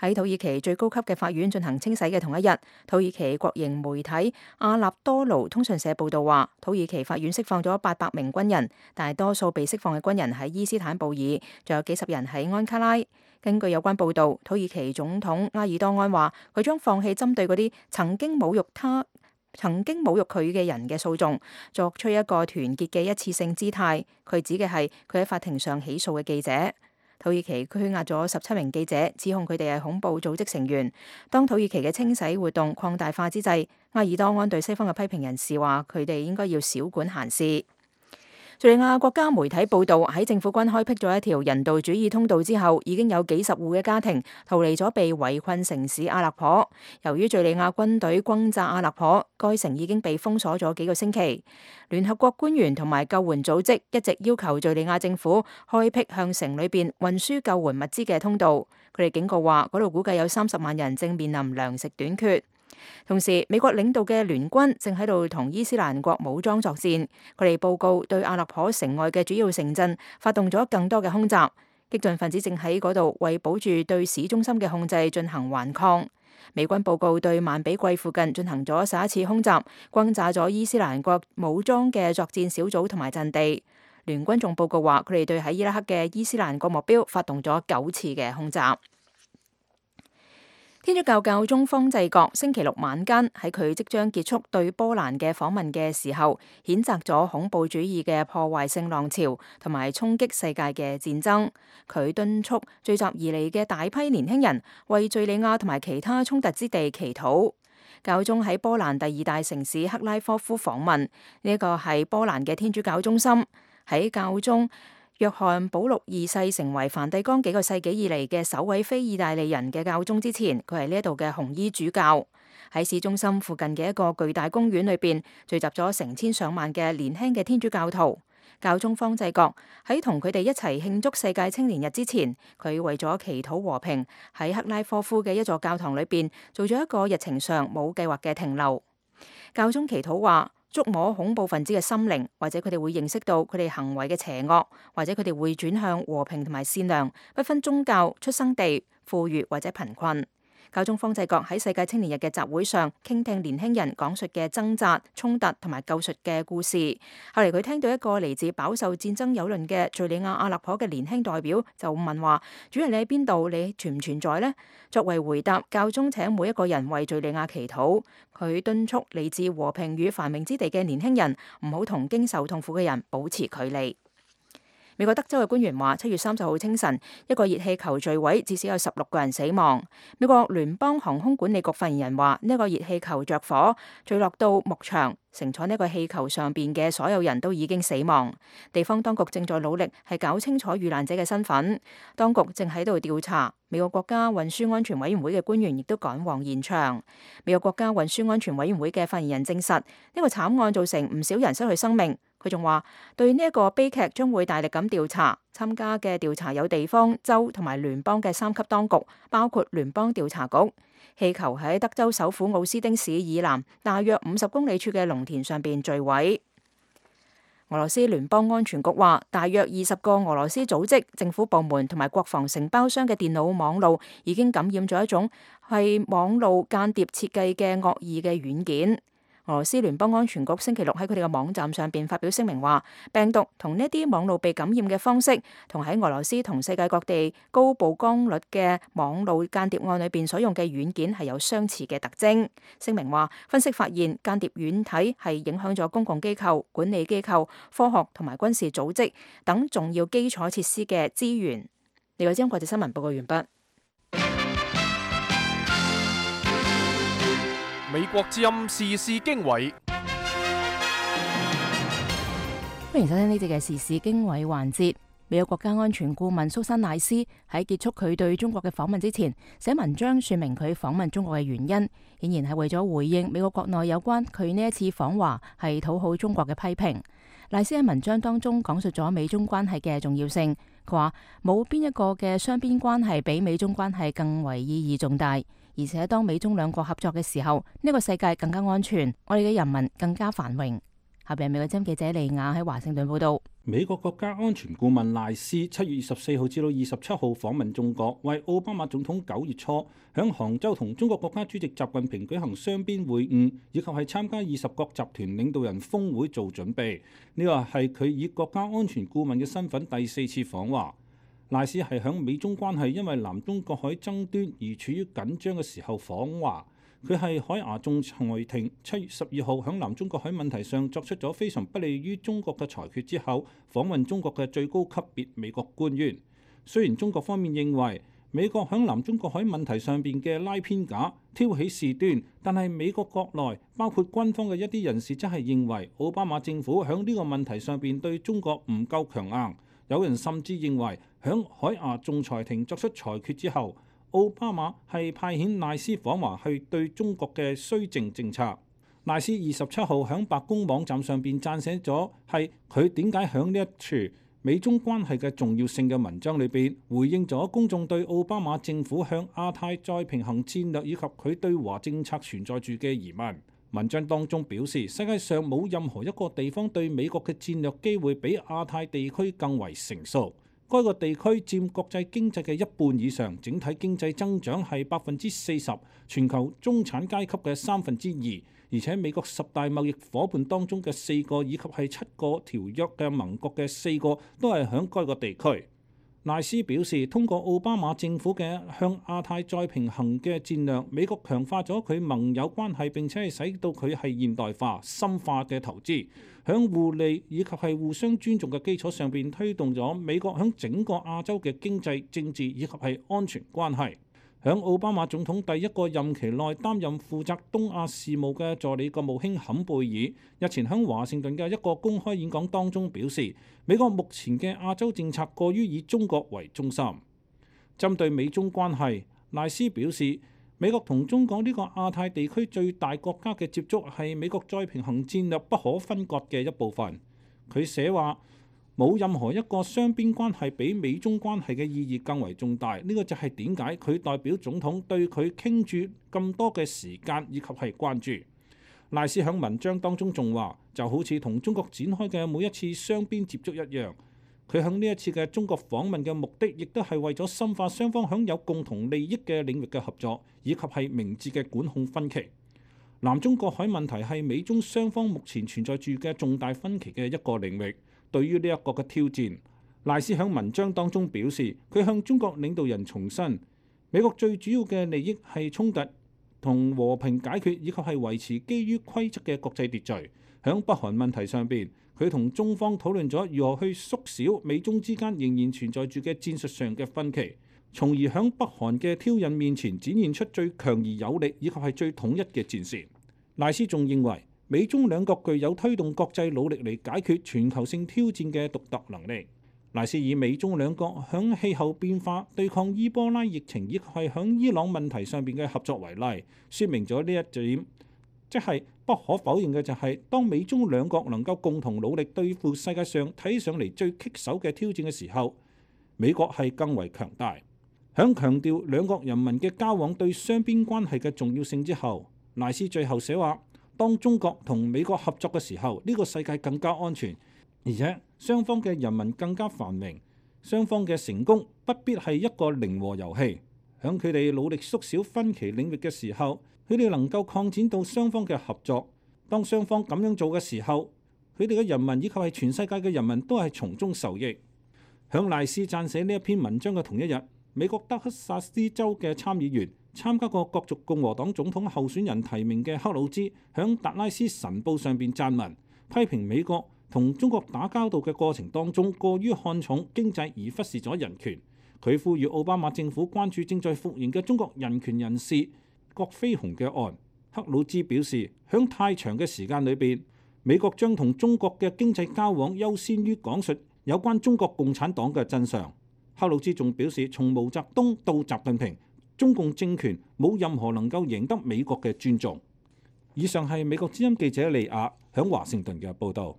喺土耳其最高級嘅法院進行清洗嘅同一日，土耳其國營媒體阿納多盧通訊社報道話，土耳其法院釋放咗八百名軍人，但係多數被釋放嘅軍人喺伊斯坦布爾，仲有幾十人喺安卡拉。根據有關報道，土耳其總統埃爾多安話，佢將放棄針對嗰啲曾經侮辱他、曾經侮辱佢嘅人嘅訴訟，作出一個團結嘅一次性姿態。佢指嘅係佢喺法庭上起訴嘅記者。土耳其拘押咗十七名記者，指控佢哋係恐怖組織成員。當土耳其嘅清洗活動擴大化之際，埃爾多安對西方嘅批評人士話，佢哋應該要少管閒事。敘利亞國家媒體報道，喺政府軍開闢咗一條人道主義通道之後，已經有幾十戶嘅家庭逃離咗被圍困城市阿勒頗。由於敘利亞軍隊轟炸阿勒頗，該城已經被封鎖咗幾個星期。聯合國官員同埋救援組織一直要求敘利亞政府開闢向城裏邊運輸救援物資嘅通道。佢哋警告話，嗰度估計有三十萬人正面臨糧食短缺。同時，美國領導嘅聯軍正喺度同伊斯蘭國武裝作戰。佢哋報告對阿勒頗城外嘅主要城鎮發動咗更多嘅空襲。激進分子正喺嗰度為保住對市中心嘅控制進行頑抗。美軍報告對曼比季附近進行咗十一次空襲，轟炸咗伊斯蘭國武裝嘅作戰小組同埋陣地。聯軍仲報告話，佢哋對喺伊拉克嘅伊斯蘭國目標發動咗九次嘅空襲。天主教教宗方濟各星期六晚間喺佢即將結束對波蘭嘅訪問嘅時候，譴責咗恐怖主義嘅破壞性浪潮同埋衝擊世界嘅戰爭。佢敦促聚集而嚟嘅大批年輕人為敘利亞同埋其他衝突之地祈禱。教宗喺波蘭第二大城市克拉科夫訪問，呢一個係波蘭嘅天主教中心。喺教宗約翰保祿二世成為梵蒂岡幾個世紀以嚟嘅首位非意大利人嘅教宗之前，佢係呢一度嘅紅衣主教。喺市中心附近嘅一個巨大公園裏邊，聚集咗成千上萬嘅年輕嘅天主教徒。教宗方濟各喺同佢哋一齊慶祝世界青年日之前，佢為咗祈禱和平，喺克拉科夫嘅一座教堂裏邊做咗一個日程上冇計劃嘅停留。教宗祈禱話，觸摸恐怖分子嘅心靈，或者佢哋會認識到佢哋行為嘅邪惡，或者佢哋會轉向和平同埋善良，不分宗教、出生地、富裕或者貧困。教宗方濟各喺世界青年日嘅集會上傾聽年輕人講述嘅掙扎、衝突同埋救贖嘅故事。後嚟佢聽到一個嚟自飽受戰爭蹂躪嘅敘利亞阿勒頗嘅年輕代表就問話：主人，你喺邊度？你存唔存在呢？作為回答，教宗請每一個人為敘利亞祈禱。佢敦促嚟自和平與繁榮之地嘅年輕人唔好同經受痛苦嘅人保持距離。美國德州嘅官員話，七月三十號清晨，一個熱氣球墜毀，至少有十六個人死亡。美國聯邦航空管理局發言人話，呢、這個熱氣球着火，墜落到牧場，乘坐呢個氣球上邊嘅所有人都已經死亡。地方當局正在努力係搞清楚遇難者嘅身份，當局正喺度調查。美國國家運輸安全委員會嘅官員亦都趕往現場。美國國家運輸安全委員會嘅發言人證實，呢、這個慘案造成唔少人失去生命。佢仲話對呢一個悲劇將會大力咁調查，參加嘅調查有地方、州同埋聯邦嘅三級當局，包括聯邦調查局。氣球喺德州首府奧斯丁市以南大約五十公里處嘅農田上邊墜毀。俄羅斯聯邦安全局話，大約二十個俄羅斯組織、政府部門同埋國防承包商嘅電腦網路已經感染咗一種係網路間諜設計嘅惡意嘅軟件。俄羅斯聯邦安全局星期六喺佢哋嘅網站上邊發表聲明話，病毒同呢啲網路被感染嘅方式，同喺俄羅斯同世界各地高曝光率嘅網路間諜案裏邊所用嘅軟件係有相似嘅特徵。聲明話，分析發現間諜軟體係影響咗公共機構、管理機構、科學同埋軍事組織等重要基礎設施嘅資源。呢個係國際新聞報告完畢。美國之音時事經緯，歡迎收聽呢節嘅時事經緯環節。美國國家安全顧問蘇珊賴斯喺結束佢對中國嘅訪問之前，寫文章說明佢訪問中國嘅原因，顯然係為咗回應美國國內有關佢呢一次訪華係討好中國嘅批評。賴斯喺文章當中講述咗美中關係嘅重要性，佢話冇邊一個嘅雙邊關係比美中關係更為意義重大。而且當美中兩國合作嘅時候，呢個世界更加安全，我哋嘅人民更加繁榮。下邊美國之音記者利亞喺華盛頓報道。美國國家安全顧問賴斯七月二十四號至到二十七號訪問中國，為奧巴馬總統九月初響杭州同中國國家主席習近平舉行雙邊會晤，以及係參加二十國集團領導人峰會做準備。呢個係佢以國家安全顧問嘅身份第四次訪華。賴斯係響美中關係因為南中國海爭端而處於緊張嘅時候訪華。佢係海牙仲裁庭七月十二號響南中國海問題上作出咗非常不利於中國嘅裁決之後，訪問中國嘅最高級別美國官員。雖然中國方面認為美國響南中國海問題上邊嘅拉偏架、挑起事端，但係美國國內包括軍方嘅一啲人士則係認為奧巴馬政府響呢個問題上邊對中國唔夠強硬。有人甚至認為響海牙仲裁庭作出裁決之後，奧巴馬係派遣賴斯訪華去對中國嘅綏靖政策。賴斯二十七號響白宮網站上邊撰寫咗係佢點解響呢一處美中關係嘅重要性嘅文章裏邊，回應咗公眾對奧巴馬政府向亞太再平衡戰略以及佢對華政策存在住嘅疑問。文章當中表示，世界上冇任何一個地方對美國嘅戰略機會比亞太地區更為成熟。該個地區佔國際經濟嘅一半以上，整體經濟增長係百分之四十，全球中產階級嘅三分之二，而且美國十大貿易夥伴當中嘅四個以及係七個條約嘅盟國嘅四個都係響該個地區。賴斯表示，通過奧巴馬政府嘅向亞太再平衡嘅戰略，美國強化咗佢盟友關係，並且係使到佢係現代化、深化嘅投資，響互利以及係互相尊重嘅基礎上邊推動咗美國響整個亞洲嘅經濟、政治以及係安全關係。響奧巴馬總統第一個任期內擔任負責東亞事務嘅助理國務卿坎貝爾日前響華盛頓嘅一個公開演講當中表示，美國目前嘅亞洲政策過於以中國為中心。針對美中關係，賴斯表示，美國同中國呢個亞太地區最大國家嘅接觸係美國再平衡戰略不可分割嘅一部分。佢寫話，冇任何一個雙邊關係比美中關係嘅意義更為重大，呢個就係點解佢代表總統對佢傾注咁多嘅時間以及係關注。賴斯喺文章當中仲話，就好似同中國展開嘅每一次雙邊接觸一樣，佢喺呢一次嘅中國訪問嘅目的，亦都係為咗深化雙方享有共同利益嘅領域嘅合作，以及係明智嘅管控分歧。南中國海問題係美中雙方目前存在住嘅重大分歧嘅一個領域。對於呢一個嘅挑戰，賴斯喺文章當中表示，佢向中國領導人重申，美國最主要嘅利益係衝突同和平解決，以及係維持基於規則嘅國際秩序。響北韓問題上邊，佢同中方討論咗如何去縮小美中之間仍然存在住嘅戰術上嘅分歧，從而響北韓嘅挑釁面前展現出最強而有力以及係最統一嘅戰線。賴斯仲認為，美中兩國具有推動國際努力嚟解決全球性挑戰嘅獨特能力。賴斯以美中兩國響氣候變化、對抗伊波拉疫情以及係響伊朗問題上邊嘅合作為例，說明咗呢一點，即係不可否認嘅就係，當美中兩國能夠共同努力對付世界上睇上嚟最棘手嘅挑戰嘅時候，美國係更為強大。響強調兩國人民嘅交往對雙邊關係嘅重要性之後，賴斯最後寫話：當中國同美國合作嘅時候，呢個世界更加安全，而且雙方嘅人民更加繁榮。雙方嘅成功不必係一個零和遊戲。響佢哋努力縮小分歧領域嘅時候，佢哋能夠擴展到雙方嘅合作。當雙方咁樣做嘅時候，佢哋嘅人民以及係全世界嘅人民都係從中受益。響賴斯撰寫呢一篇文章嘅同一日，美國德克薩斯州嘅參議員、參加過角逐共和黨總統候選人提名嘅克魯茲，響達拉斯晨報上邊撰文，批評美國同中國打交道嘅過程當中過於看重經濟而忽視咗人權。佢呼籲奧巴馬政府關注正在復原嘅中國人權人士郭飛雄嘅案。克魯茲表示，響太長嘅時間裏邊，美國將同中國嘅經濟交往優先於講述有關中國共產黨嘅真相。克魯茲仲表示，從毛澤東到習近平，中共政權冇任何能夠贏得美國嘅尊重。以上係美國之音記者利亞響華盛頓嘅報導。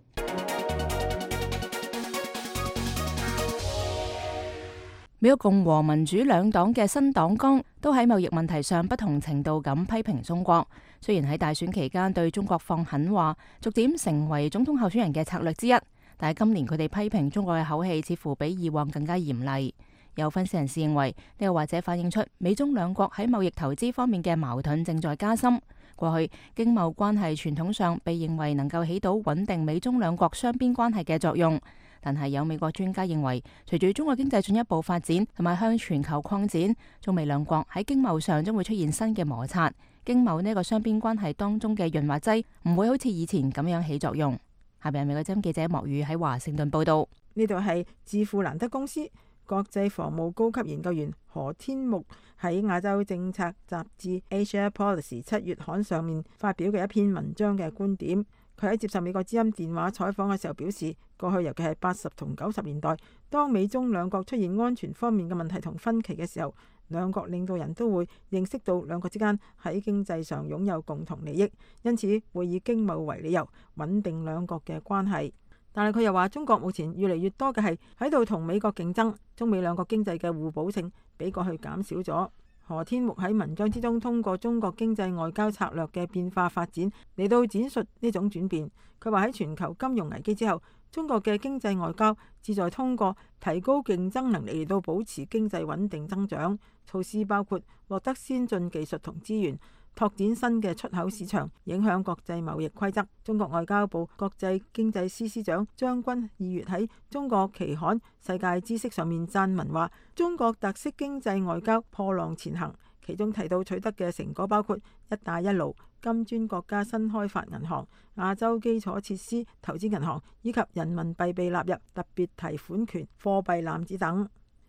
美國共和民主兩黨嘅新黨綱都喺貿易問題上不同程度咁批評中國。雖然喺大選期間對中國放狠話，逐漸成為總統候選人嘅策略之一，但係今年佢哋批評中國嘅口氣似乎比以往更加嚴厲。有分析人士認為，呢個或者反映出美中兩國喺貿易投資方面嘅矛盾正在加深。過去經貿關係傳統上被認為能夠起到穩定美中兩國雙邊關係嘅作用。但係有美國專家認為，隨住中國經濟進一步發展同埋向全球擴展，中美兩國喺經貿上將會出現新嘅摩擦。經貿呢個雙邊關係當中嘅潤滑劑唔會好似以前咁樣起作用。下邊係美國之音記者莫宇喺華盛頓報道。呢度係智庫蘭德公司國際防務高級研究員何天木喺亞洲政策雜誌 Asia Policy 七月刊上面發表嘅一篇文章嘅觀點。佢喺接受美國之音電話採訪嘅時候表示，過去尤其係八十同九十年代，當美中兩國出現安全方面嘅問題同分歧嘅時候，兩國領導人都會認識到兩國之間喺經濟上擁有共同利益，因此會以經貿為理由穩定兩國嘅關係。但係佢又話，中國目前越嚟越多嘅係喺度同美國競爭，中美兩國經濟嘅互補性比過去減少咗。何天木喺文章之中通過中國經濟外交策略嘅變化發展嚟到展述呢種轉變。佢話喺全球金融危機之後，中國嘅經濟外交旨在通過提高競爭能力嚟到保持經濟穩定增長。措施包括獲得先進技術同資源，拓展新嘅出口市場，影響國際貿易規則。中國外交部國際經濟司司長張軍二月喺中國期刊《世界知識》上面撰文話，中國特色經濟外交破浪前行，其中提到取得嘅成果包括一帶一路、金磚國家新開發銀行、亞洲基礎設施投資銀行以及人民幣被納入特別提款權貨幣籃子等。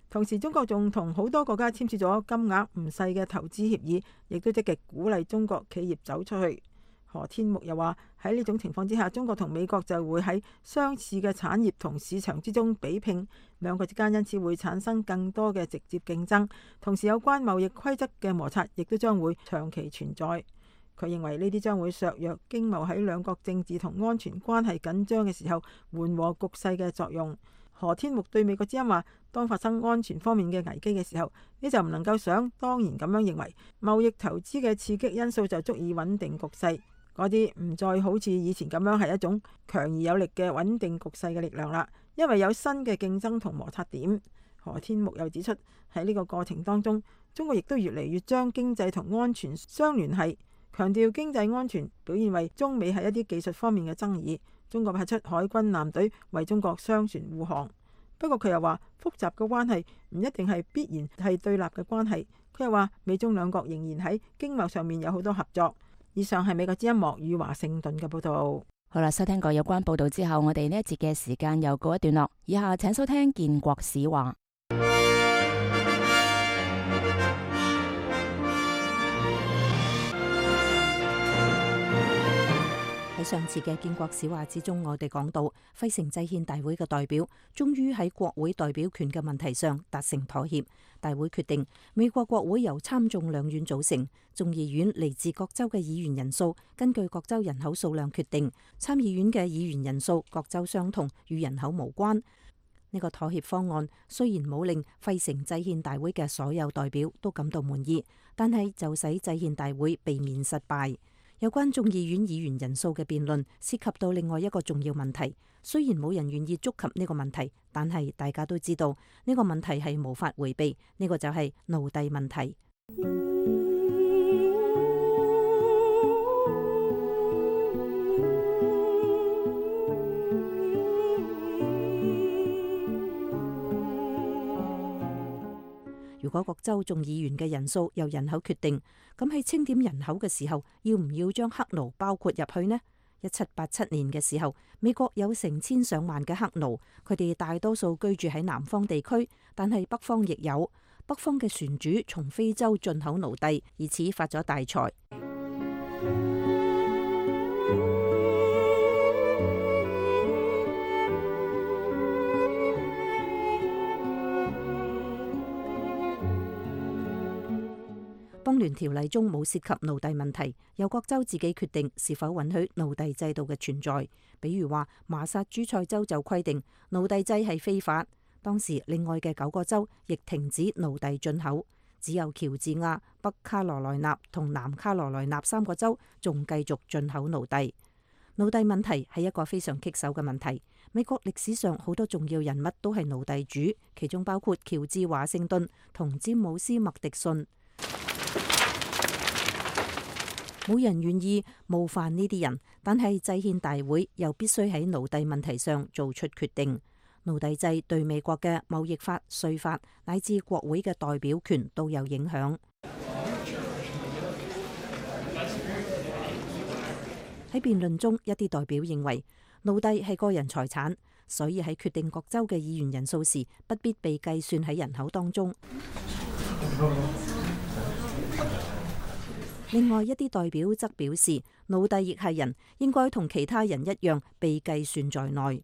同時，中國仲同好多國家簽署咗金額唔細嘅投資協議，亦都積極鼓勵中國企業走出去。何天木又話，喺呢種情況之下，中國同美國就會喺相似嘅產業同市場之中比拼，兩國之間因此會產生更多嘅直接競爭。同時，有關貿易規則嘅摩擦亦都將會長期存在。佢認為呢啲將會削弱經貿喺兩國政治同安全關係緊張嘅時候緩和局勢嘅作用。何天木對美國之音話，當發生安全方面嘅危機嘅時候，你就唔能夠想當然咁樣認為貿易投資嘅刺激因素就足以穩定局勢，嗰啲唔再好似以前咁樣係一種強而有力嘅穩定局勢嘅力量啦，因為有新嘅競爭同摩擦點。何天木又指出，喺呢個過程當中，中國亦都越嚟越將經濟同安全相聯繫，強調經濟安全表現為中美係一啲技術方面嘅爭議。中國派出海軍艦隊為中國商船護航，不過佢又話複雜嘅關係唔一定係必然係對立嘅關係。佢又話美中兩國仍然喺經貿上面有好多合作。以上係美國之音莫與華盛頓嘅報道。好啦，收聽過有關報道之後，我哋呢一節嘅時間又告一段落。以下請收聽建國史話。喺上次嘅建國史話之中，我哋講到費城制憲大會嘅代表終於喺國會代表權嘅問題上達成妥協。大會決定美國國會由參眾兩院組成，眾議院嚟自各州嘅議員人數根據各州人口數量決定，參議院嘅議員人數各州相同，與人口無關。呢個妥協方案雖然冇令費城制憲大會嘅所有代表都感到滿意，但係就使制憲大會避免失敗。有關眾議院議員人數嘅辯論涉及到另外一個重要問題，雖然冇人願意觸及呢個問題，但係大家都知道呢個問題係無法迴避，呢個就係奴隸問題。如果各州眾議員嘅人數由人口決定，咁喺清點人口嘅時候，要唔要將黑奴包括入去呢？一七八七年嘅時候，美國有成千上萬嘅黑奴，佢哋大多數居住喺南方地區，但係北方亦有。北方嘅船主從非洲進口奴隸，以此發咗大財。邦聯條例中冇涉及奴隸問題，由各州自己決定是否允許奴隸制度嘅存在。比如話，麻薩諸塞州就規定奴隸制係非法。當時另外嘅九個州亦停止奴隸進口，只有喬治亞、北卡羅來納同南卡羅來納三個州仲繼續進口奴隸。奴隸問題係一個非常棘手嘅問題。美國歷史上好多重要人物都係奴隸主，其中包括喬治華盛頓同詹姆斯麥迪遜。冇人願意冒犯呢啲人，但係制憲大會又必須喺奴隸問題上做出決定。奴隸制對美國嘅貿易法、稅法乃至國會嘅代表權都有影響。喺辯論中，一啲代表認為奴隸係個人財產，所以喺決定各州嘅議員人數時，不必被計算喺人口當中。另外一啲代表則表示，奴隸亦係人，應該同其他人一樣被計算在內。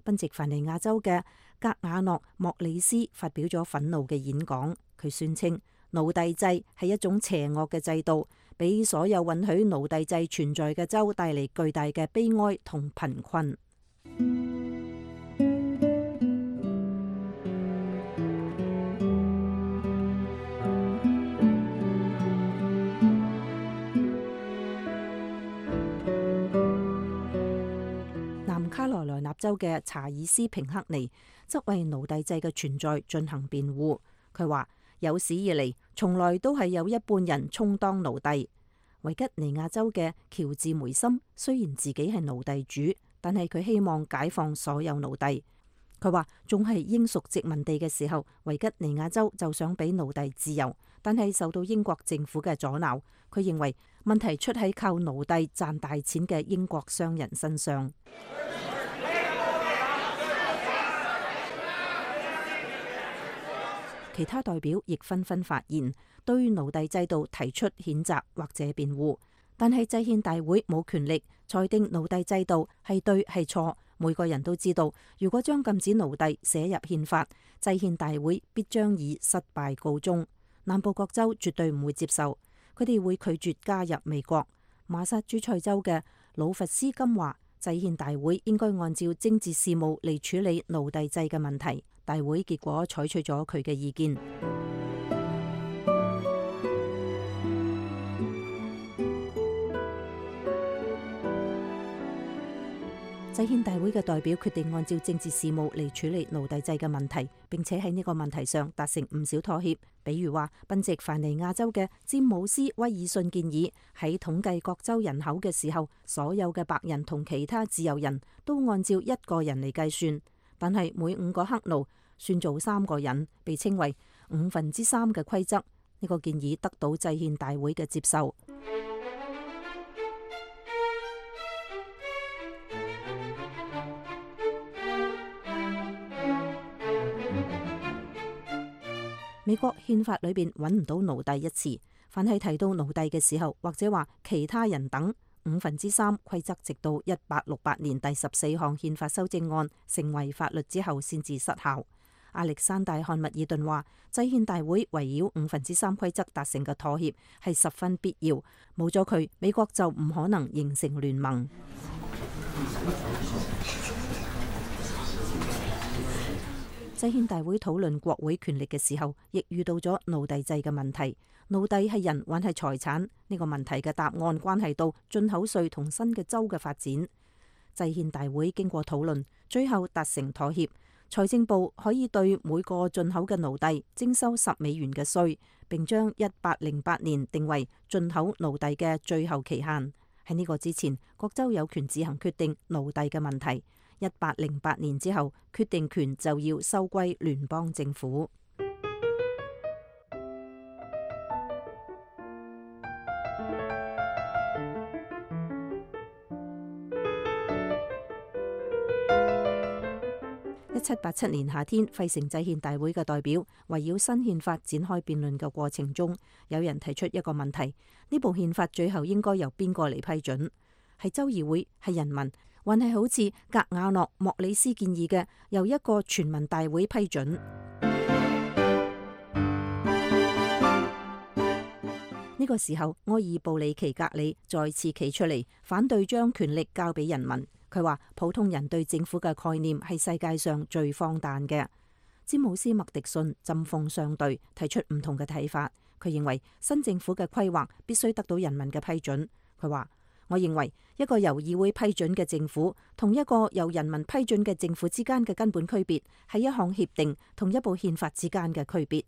賓夕凡尼亞州嘅格瓦諾莫里斯發表咗憤怒嘅演講，佢宣稱奴隸制係一種邪惡嘅制度，俾所有允許奴隸制存在嘅州帶嚟巨大嘅悲哀同貧困。卡羅來納州嘅查爾斯平克尼則為奴隸制嘅存在進行辯護。佢話有史以嚟從來都係有一半人充當奴隸。維吉尼亞州嘅喬治梅森雖然自己係奴隸主，但係佢希望解放所有奴隸。佢話仲係英屬殖民地嘅時候，維吉尼亞州就想俾奴隸自由，但係受到英國政府嘅阻撓。佢認為問題出喺靠奴隸賺大錢嘅英國商人身上。其他代表亦紛紛發言，對奴隸制度提出譴責或者辯護，但係制憲大會冇權力裁定奴隸制度係對係錯。每個人都知道，如果將禁止奴隸寫入憲法，制憲大會必將以失敗告終。南部各州絕對唔會接受，佢哋會拒絕加入美國。馬薩諸塞州嘅魯弗斯金話，制憲大會應該按照政治事務嚟處理奴隸制嘅問題。大會結果採取咗佢嘅意見。制憲大會嘅代表決定按照政治事務嚟處理奴隸制嘅問題，並且喺呢個問題上達成唔少妥協。比如話，賓夕凡尼亞州嘅詹姆斯威爾遜建議喺統計各州人口嘅時候，所有嘅白人同其他自由人都按照一個人嚟計算，但係每五個黑奴算做三個人，被稱為五分之三嘅規則。呢個建議得到制憲大會嘅接受。美國憲法裏邊揾唔到奴隸一詞，凡係提到奴隸嘅時候，或者話其他人等，五分之三規則，直到一八六八年第十四項憲法修正案成為法律之後先至失效。亞歷山大漢密爾頓話，制憲大會圍繞五分之三規則達成嘅妥協係十分必要，冇咗佢，美國就唔可能形成聯盟。制憲大會討論國會權力嘅時候，亦遇到咗奴隸制嘅問題。奴隸係人還係財產？呢個問題嘅答案關係到進口稅同新嘅州嘅發展。制憲大會經過討論，最後達成妥協。財政部可以對每個進口嘅奴隸徵收十美元嘅稅，並將一八零八年定為進口奴隸嘅最後期限。喺呢個之前，各州有權自行決定奴隸嘅問題。一八零八年之後，決定權就要收歸聯邦政府。一七八七年夏天，費城制憲大會嘅代表圍繞新憲法展開辯論嘅過程中，有人提出一個問題：呢部憲法最後應該由邊個嚟批准？係州議會，係人民，還係好似格瓦諾莫里斯建議嘅由一個全民大會批准？呢個時候，埃爾布里奇格里再次企出嚟反對將權力交俾人民。佢話普通人對政府嘅概念係世界上最荒誕嘅。詹姆斯麥迪遜針鋒相對，提出唔同嘅睇法。佢認為新政府嘅規劃必須得到人民嘅批准。佢話：我認為一個由議會批准嘅政府同一個由人民批准嘅政府之間嘅根本區別係一項協定同一部憲法之間嘅區別。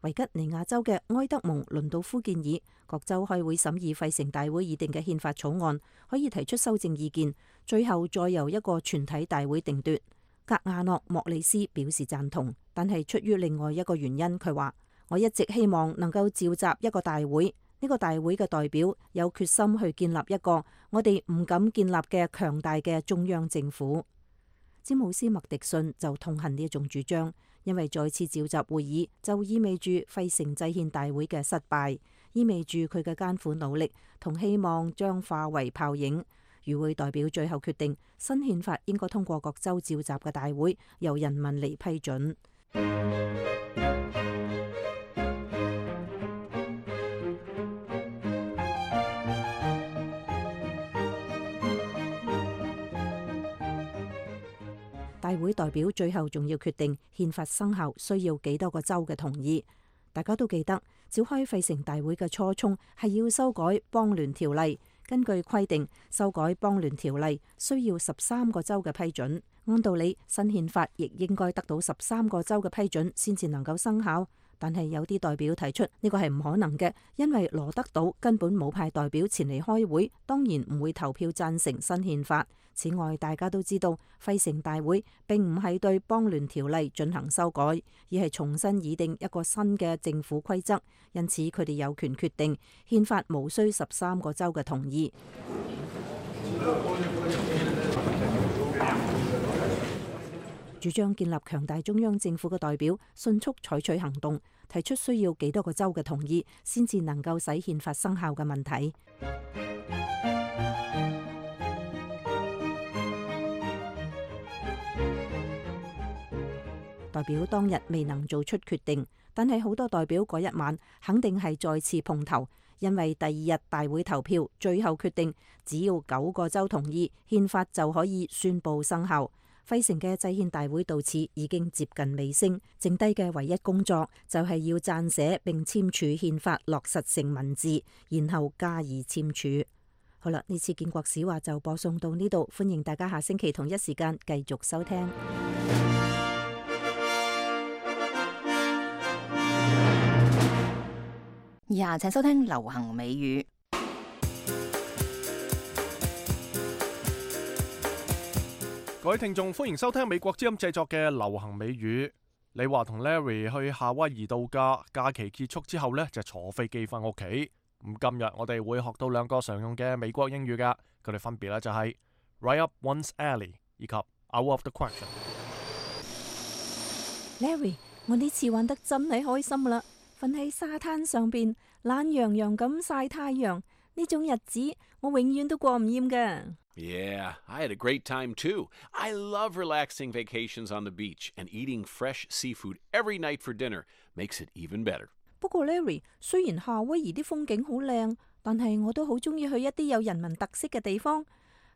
維吉尼亞州嘅埃德蒙倫道夫建議各州開會審議費城大會議定嘅憲法草案，可以提出修正意見，最後再由一個全體大會定奪。格亞諾莫里斯表示贊同，但係出於另外一個原因。佢話：我一直希望能夠召集一個大會，呢個大會嘅代表有決心去建立一個我哋唔敢建立嘅強大嘅中央政府。詹姆斯麥迪遜就痛恨呢一種主張，因為再次召集會議就意味住費城制憲大會嘅失敗，意味住佢嘅艱苦努力同希望將化為泡影。與會代表最後決定，新憲法應該通過各州召集嘅大會由人民嚟批准。大會代表最後仲要決定憲法生效需要幾多個州嘅同意。大家都記得召開費城大會嘅初衷係要修改邦聯條例。根據規定，修改邦聯條例需要十三個州嘅批准。按道理，新憲法亦應該得到十三個州嘅批准先至能夠生效。但係有啲代表提出呢個係唔可能嘅，因為羅德島根本冇派代表前嚟開會，當然唔會投票贊成新憲法。此外，大家都知道費城大會並唔係對邦聯條例進行修改，而係重新擬定一個新嘅政府規則，因此佢哋有權決定憲法無需十三個州嘅同意。主張建立強大中央政府嘅代表迅速採取行動，提出需要幾多個州嘅同意先至能夠使憲法生效嘅問題。代表當日未能做出決定，但係好多代表嗰一晚肯定係再次碰頭，因為第二日大會投票最後決定，只要九個州同意，憲法就可以宣布生效。費城嘅制憲大會到此已經接近尾聲，剩低嘅唯一工作就係要撰寫並簽署憲法落實成文字，然後加以簽署。好啦，呢次建國史話就播送到呢度，歡迎大家下星期同一時間繼續收聽。以下請收聽流行美語。各位聽眾，歡迎收聽美國之音製作嘅流行美語。李華同 Larry 去夏威夷度假，假期結束之後呢，就坐飛機翻屋企。咁今日我哋會學到兩個常用嘅美國英語噶，佢哋分別咧就係 right up one's alley 以及 out of the question。 Larry， 我呢次玩得真係開心啦！瞓喺沙灘上邊，懶洋洋咁曬太陽，呢種日子我永遠都過唔厭㗎。Yeah, I had a great time too. I love relaxing vacations on the beach and eating fresh seafood every night for dinner makes it even better. 不過 Larry， 雖然夏威夷啲風景好靚，但係我都好中意去一啲有人文特色嘅地方，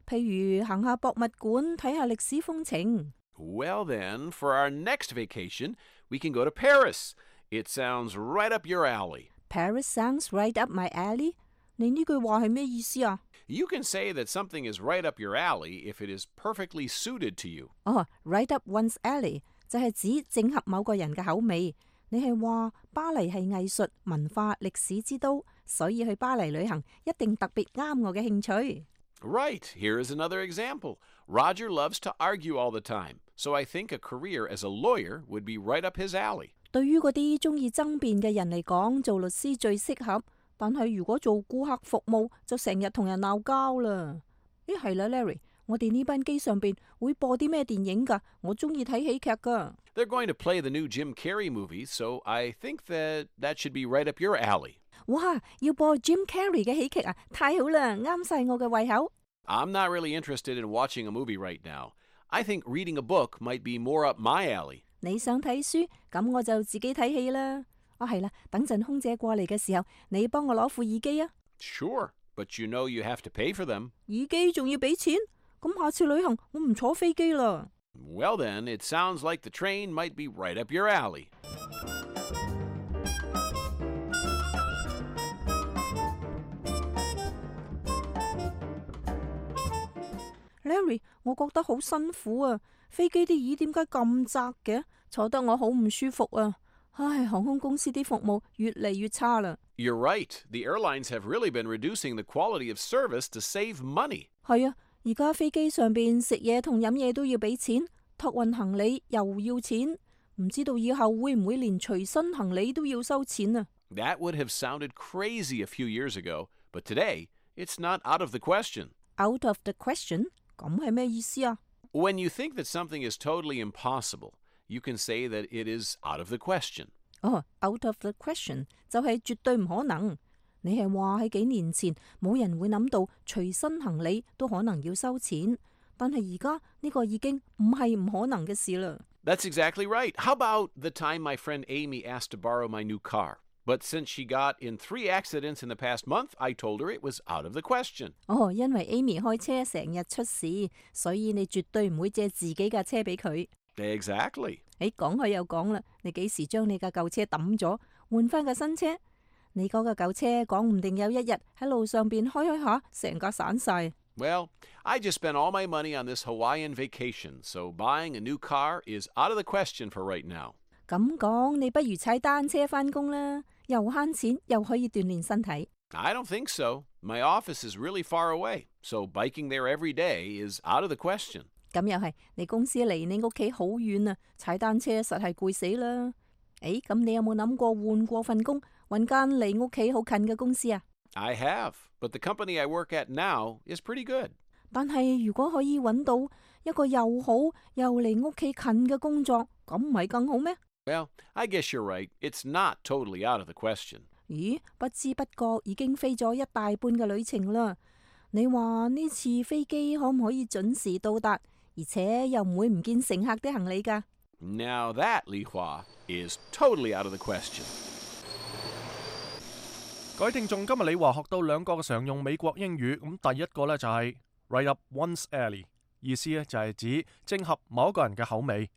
譬如行下博物館，睇下歷史風情。Well then, for our next vacation, we can go to Paris. It sounds right up your alley. Paris sounds right up my alley. 你呢句話係咩意思啊？ You can say that something is right up your alley if it is perfectly suited to you. 哦、oh, right up one's alley 就係指正合某個人嘅口味。你係話巴黎係藝術、文化、歷史之都，所以去巴黎旅行一定特別啱我嘅興趣。Right. Here is another example. Roger loves to argue all the time, so I think a career as a lawyer would be right up his alley. 對於嗰啲中意爭辯嘅人嚟講，做律師最適合。但係如果做顧客服務，就成日同人鬧交啦。咦係啦 ，Larry， 我哋呢班機上邊會播啲咩電影㗎？我中意睇喜劇㗎。They're going to play the new Jim Carrey movie, so I think that that should be right up your alley. 哇，要播 Jim Carrey 嘅喜劇啊！太好啦，啱晒我嘅胃口。I'm not really interested in watching a movie right now. I think reading a book might be more up my alley. 你想睇書，咁我就自己睇戲啦。啊係啦，等陣空姐過嚟嘅時候，你幫我攞副耳機啊。Sure, but you know you have to pay for them. 耳機仲要俾錢？咁下次旅行我唔坐飛機啦。Well then, it sounds like the train might be right up your alley. Larry， 我覺得好辛苦啊！飛機啲椅點解咁窄嘅？坐得我好唔舒服啊！唉，航空公司啲服務越嚟越差啦。You're right. The airlines have really been reducing the quality of service to save money. 係啊，而家飛機上邊食嘢同飲嘢都要俾錢，託運行李又要錢，唔知道以後會唔會連隨身行李都要收錢啊？ That would have sounded crazy a few years ago, but today it's not out of the question. Out of the question？ 咁係咩意思啊？ When you think that something is totally impossible, you can say that it is out of the question. 哦、oh, out of the question 就係絕對唔可能。你係話喺幾年前冇人會諗到隨身行李都可能要收錢，但係而家呢個已經唔係唔可能嘅事啦。That's exactly right. How about the time my friend Amy asked to borrow my new car? But since she got in three accidents in the past month, I told her it was out of the question. 哦，因為 Amy 開車成日出事，所以你絕對唔會借自己架車俾佢。Exactly. 誒，講開又講啦，你幾時將你架舊車抌咗，換翻架新車？你嗰架舊車講唔定有一日喺路上邊開開下，成架散晒。Well, I just spent all my money on this Hawaiian vacation, so buying a new car is out of the question for right now. 咁講，你不如踩單車翻工啦，又慳錢，又可以鍛煉身體。I don't think so. My office is really far away, so biking there every day is out of the question. 咁又係，你公司離你屋企好遠啊，踩單車實係攰死啦。誒，咁你有冇諗過換過份工，揾間離屋企好近嘅公司啊？ I have, but the company I work at now is pretty good. 但係如果可以揾到一個又好又離屋企近嘅工作，咁唔係更好咩？ Well, I guess you're right. It's not totally out of the question. 咦，不知不覺已經飛咗一大半嘅旅程啦。你話呢次飛機可唔可以準時到達，而且又唔會唔見乘客啲行李㗎？ Now that, Li Hua, is totally out of the question. 各位聽眾，今日李華學到兩個嘅常用美國英語，咁第一個呢就係 right up one's alley， 意思呢就係指正合某一個人嘅口味，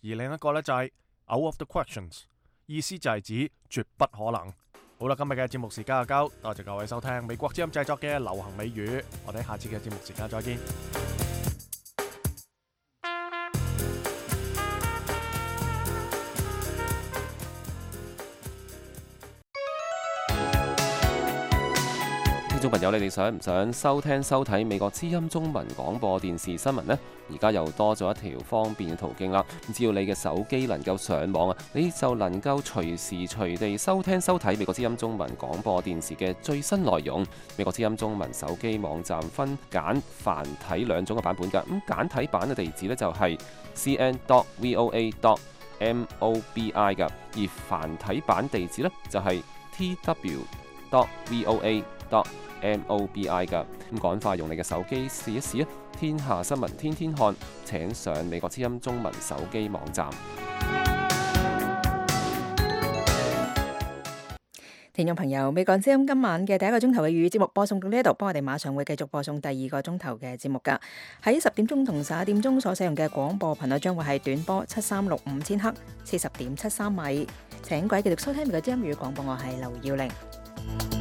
而另一個呢就係out of the questions， 意思就係指絕不可能。好啦，今日嘅節目時間就夠，多謝各位收聽美國之音製作嘅流行美語，我哋下次嘅節目時間再見。聽眾朋友，你哋想唔想收聽收睇美國之音中文廣播電視新聞呢？而家又多咗一條方便嘅途徑啦！只要你嘅手機能夠上網啊，你就能夠隨時隨地收聽收睇美國之音中文廣播電視嘅最新內容。美國之音中文手機網站分簡繁體兩種嘅版本㗎。咁簡體版嘅地址呢，就係 c n dot v o a dot m o b i 㗎，而繁體版地址呢，就係 t w dot v o a dot M O B I 㗎。咁趕快用你嘅手機試一試啊！天下新聞天天看，請上美國之音中文手機網站。聽眾朋友，美國之音今晚嘅第一個鐘頭嘅粵語節目播送到呢一度，幫我哋馬上會繼續播送第二個鐘頭嘅節目㗎。喺十點鐘同十一點鐘所使用嘅廣播頻率將會係短波七三六五千赫，四十點七三米。請各位繼續收聽美國之音粵語廣播，我係劉耀玲。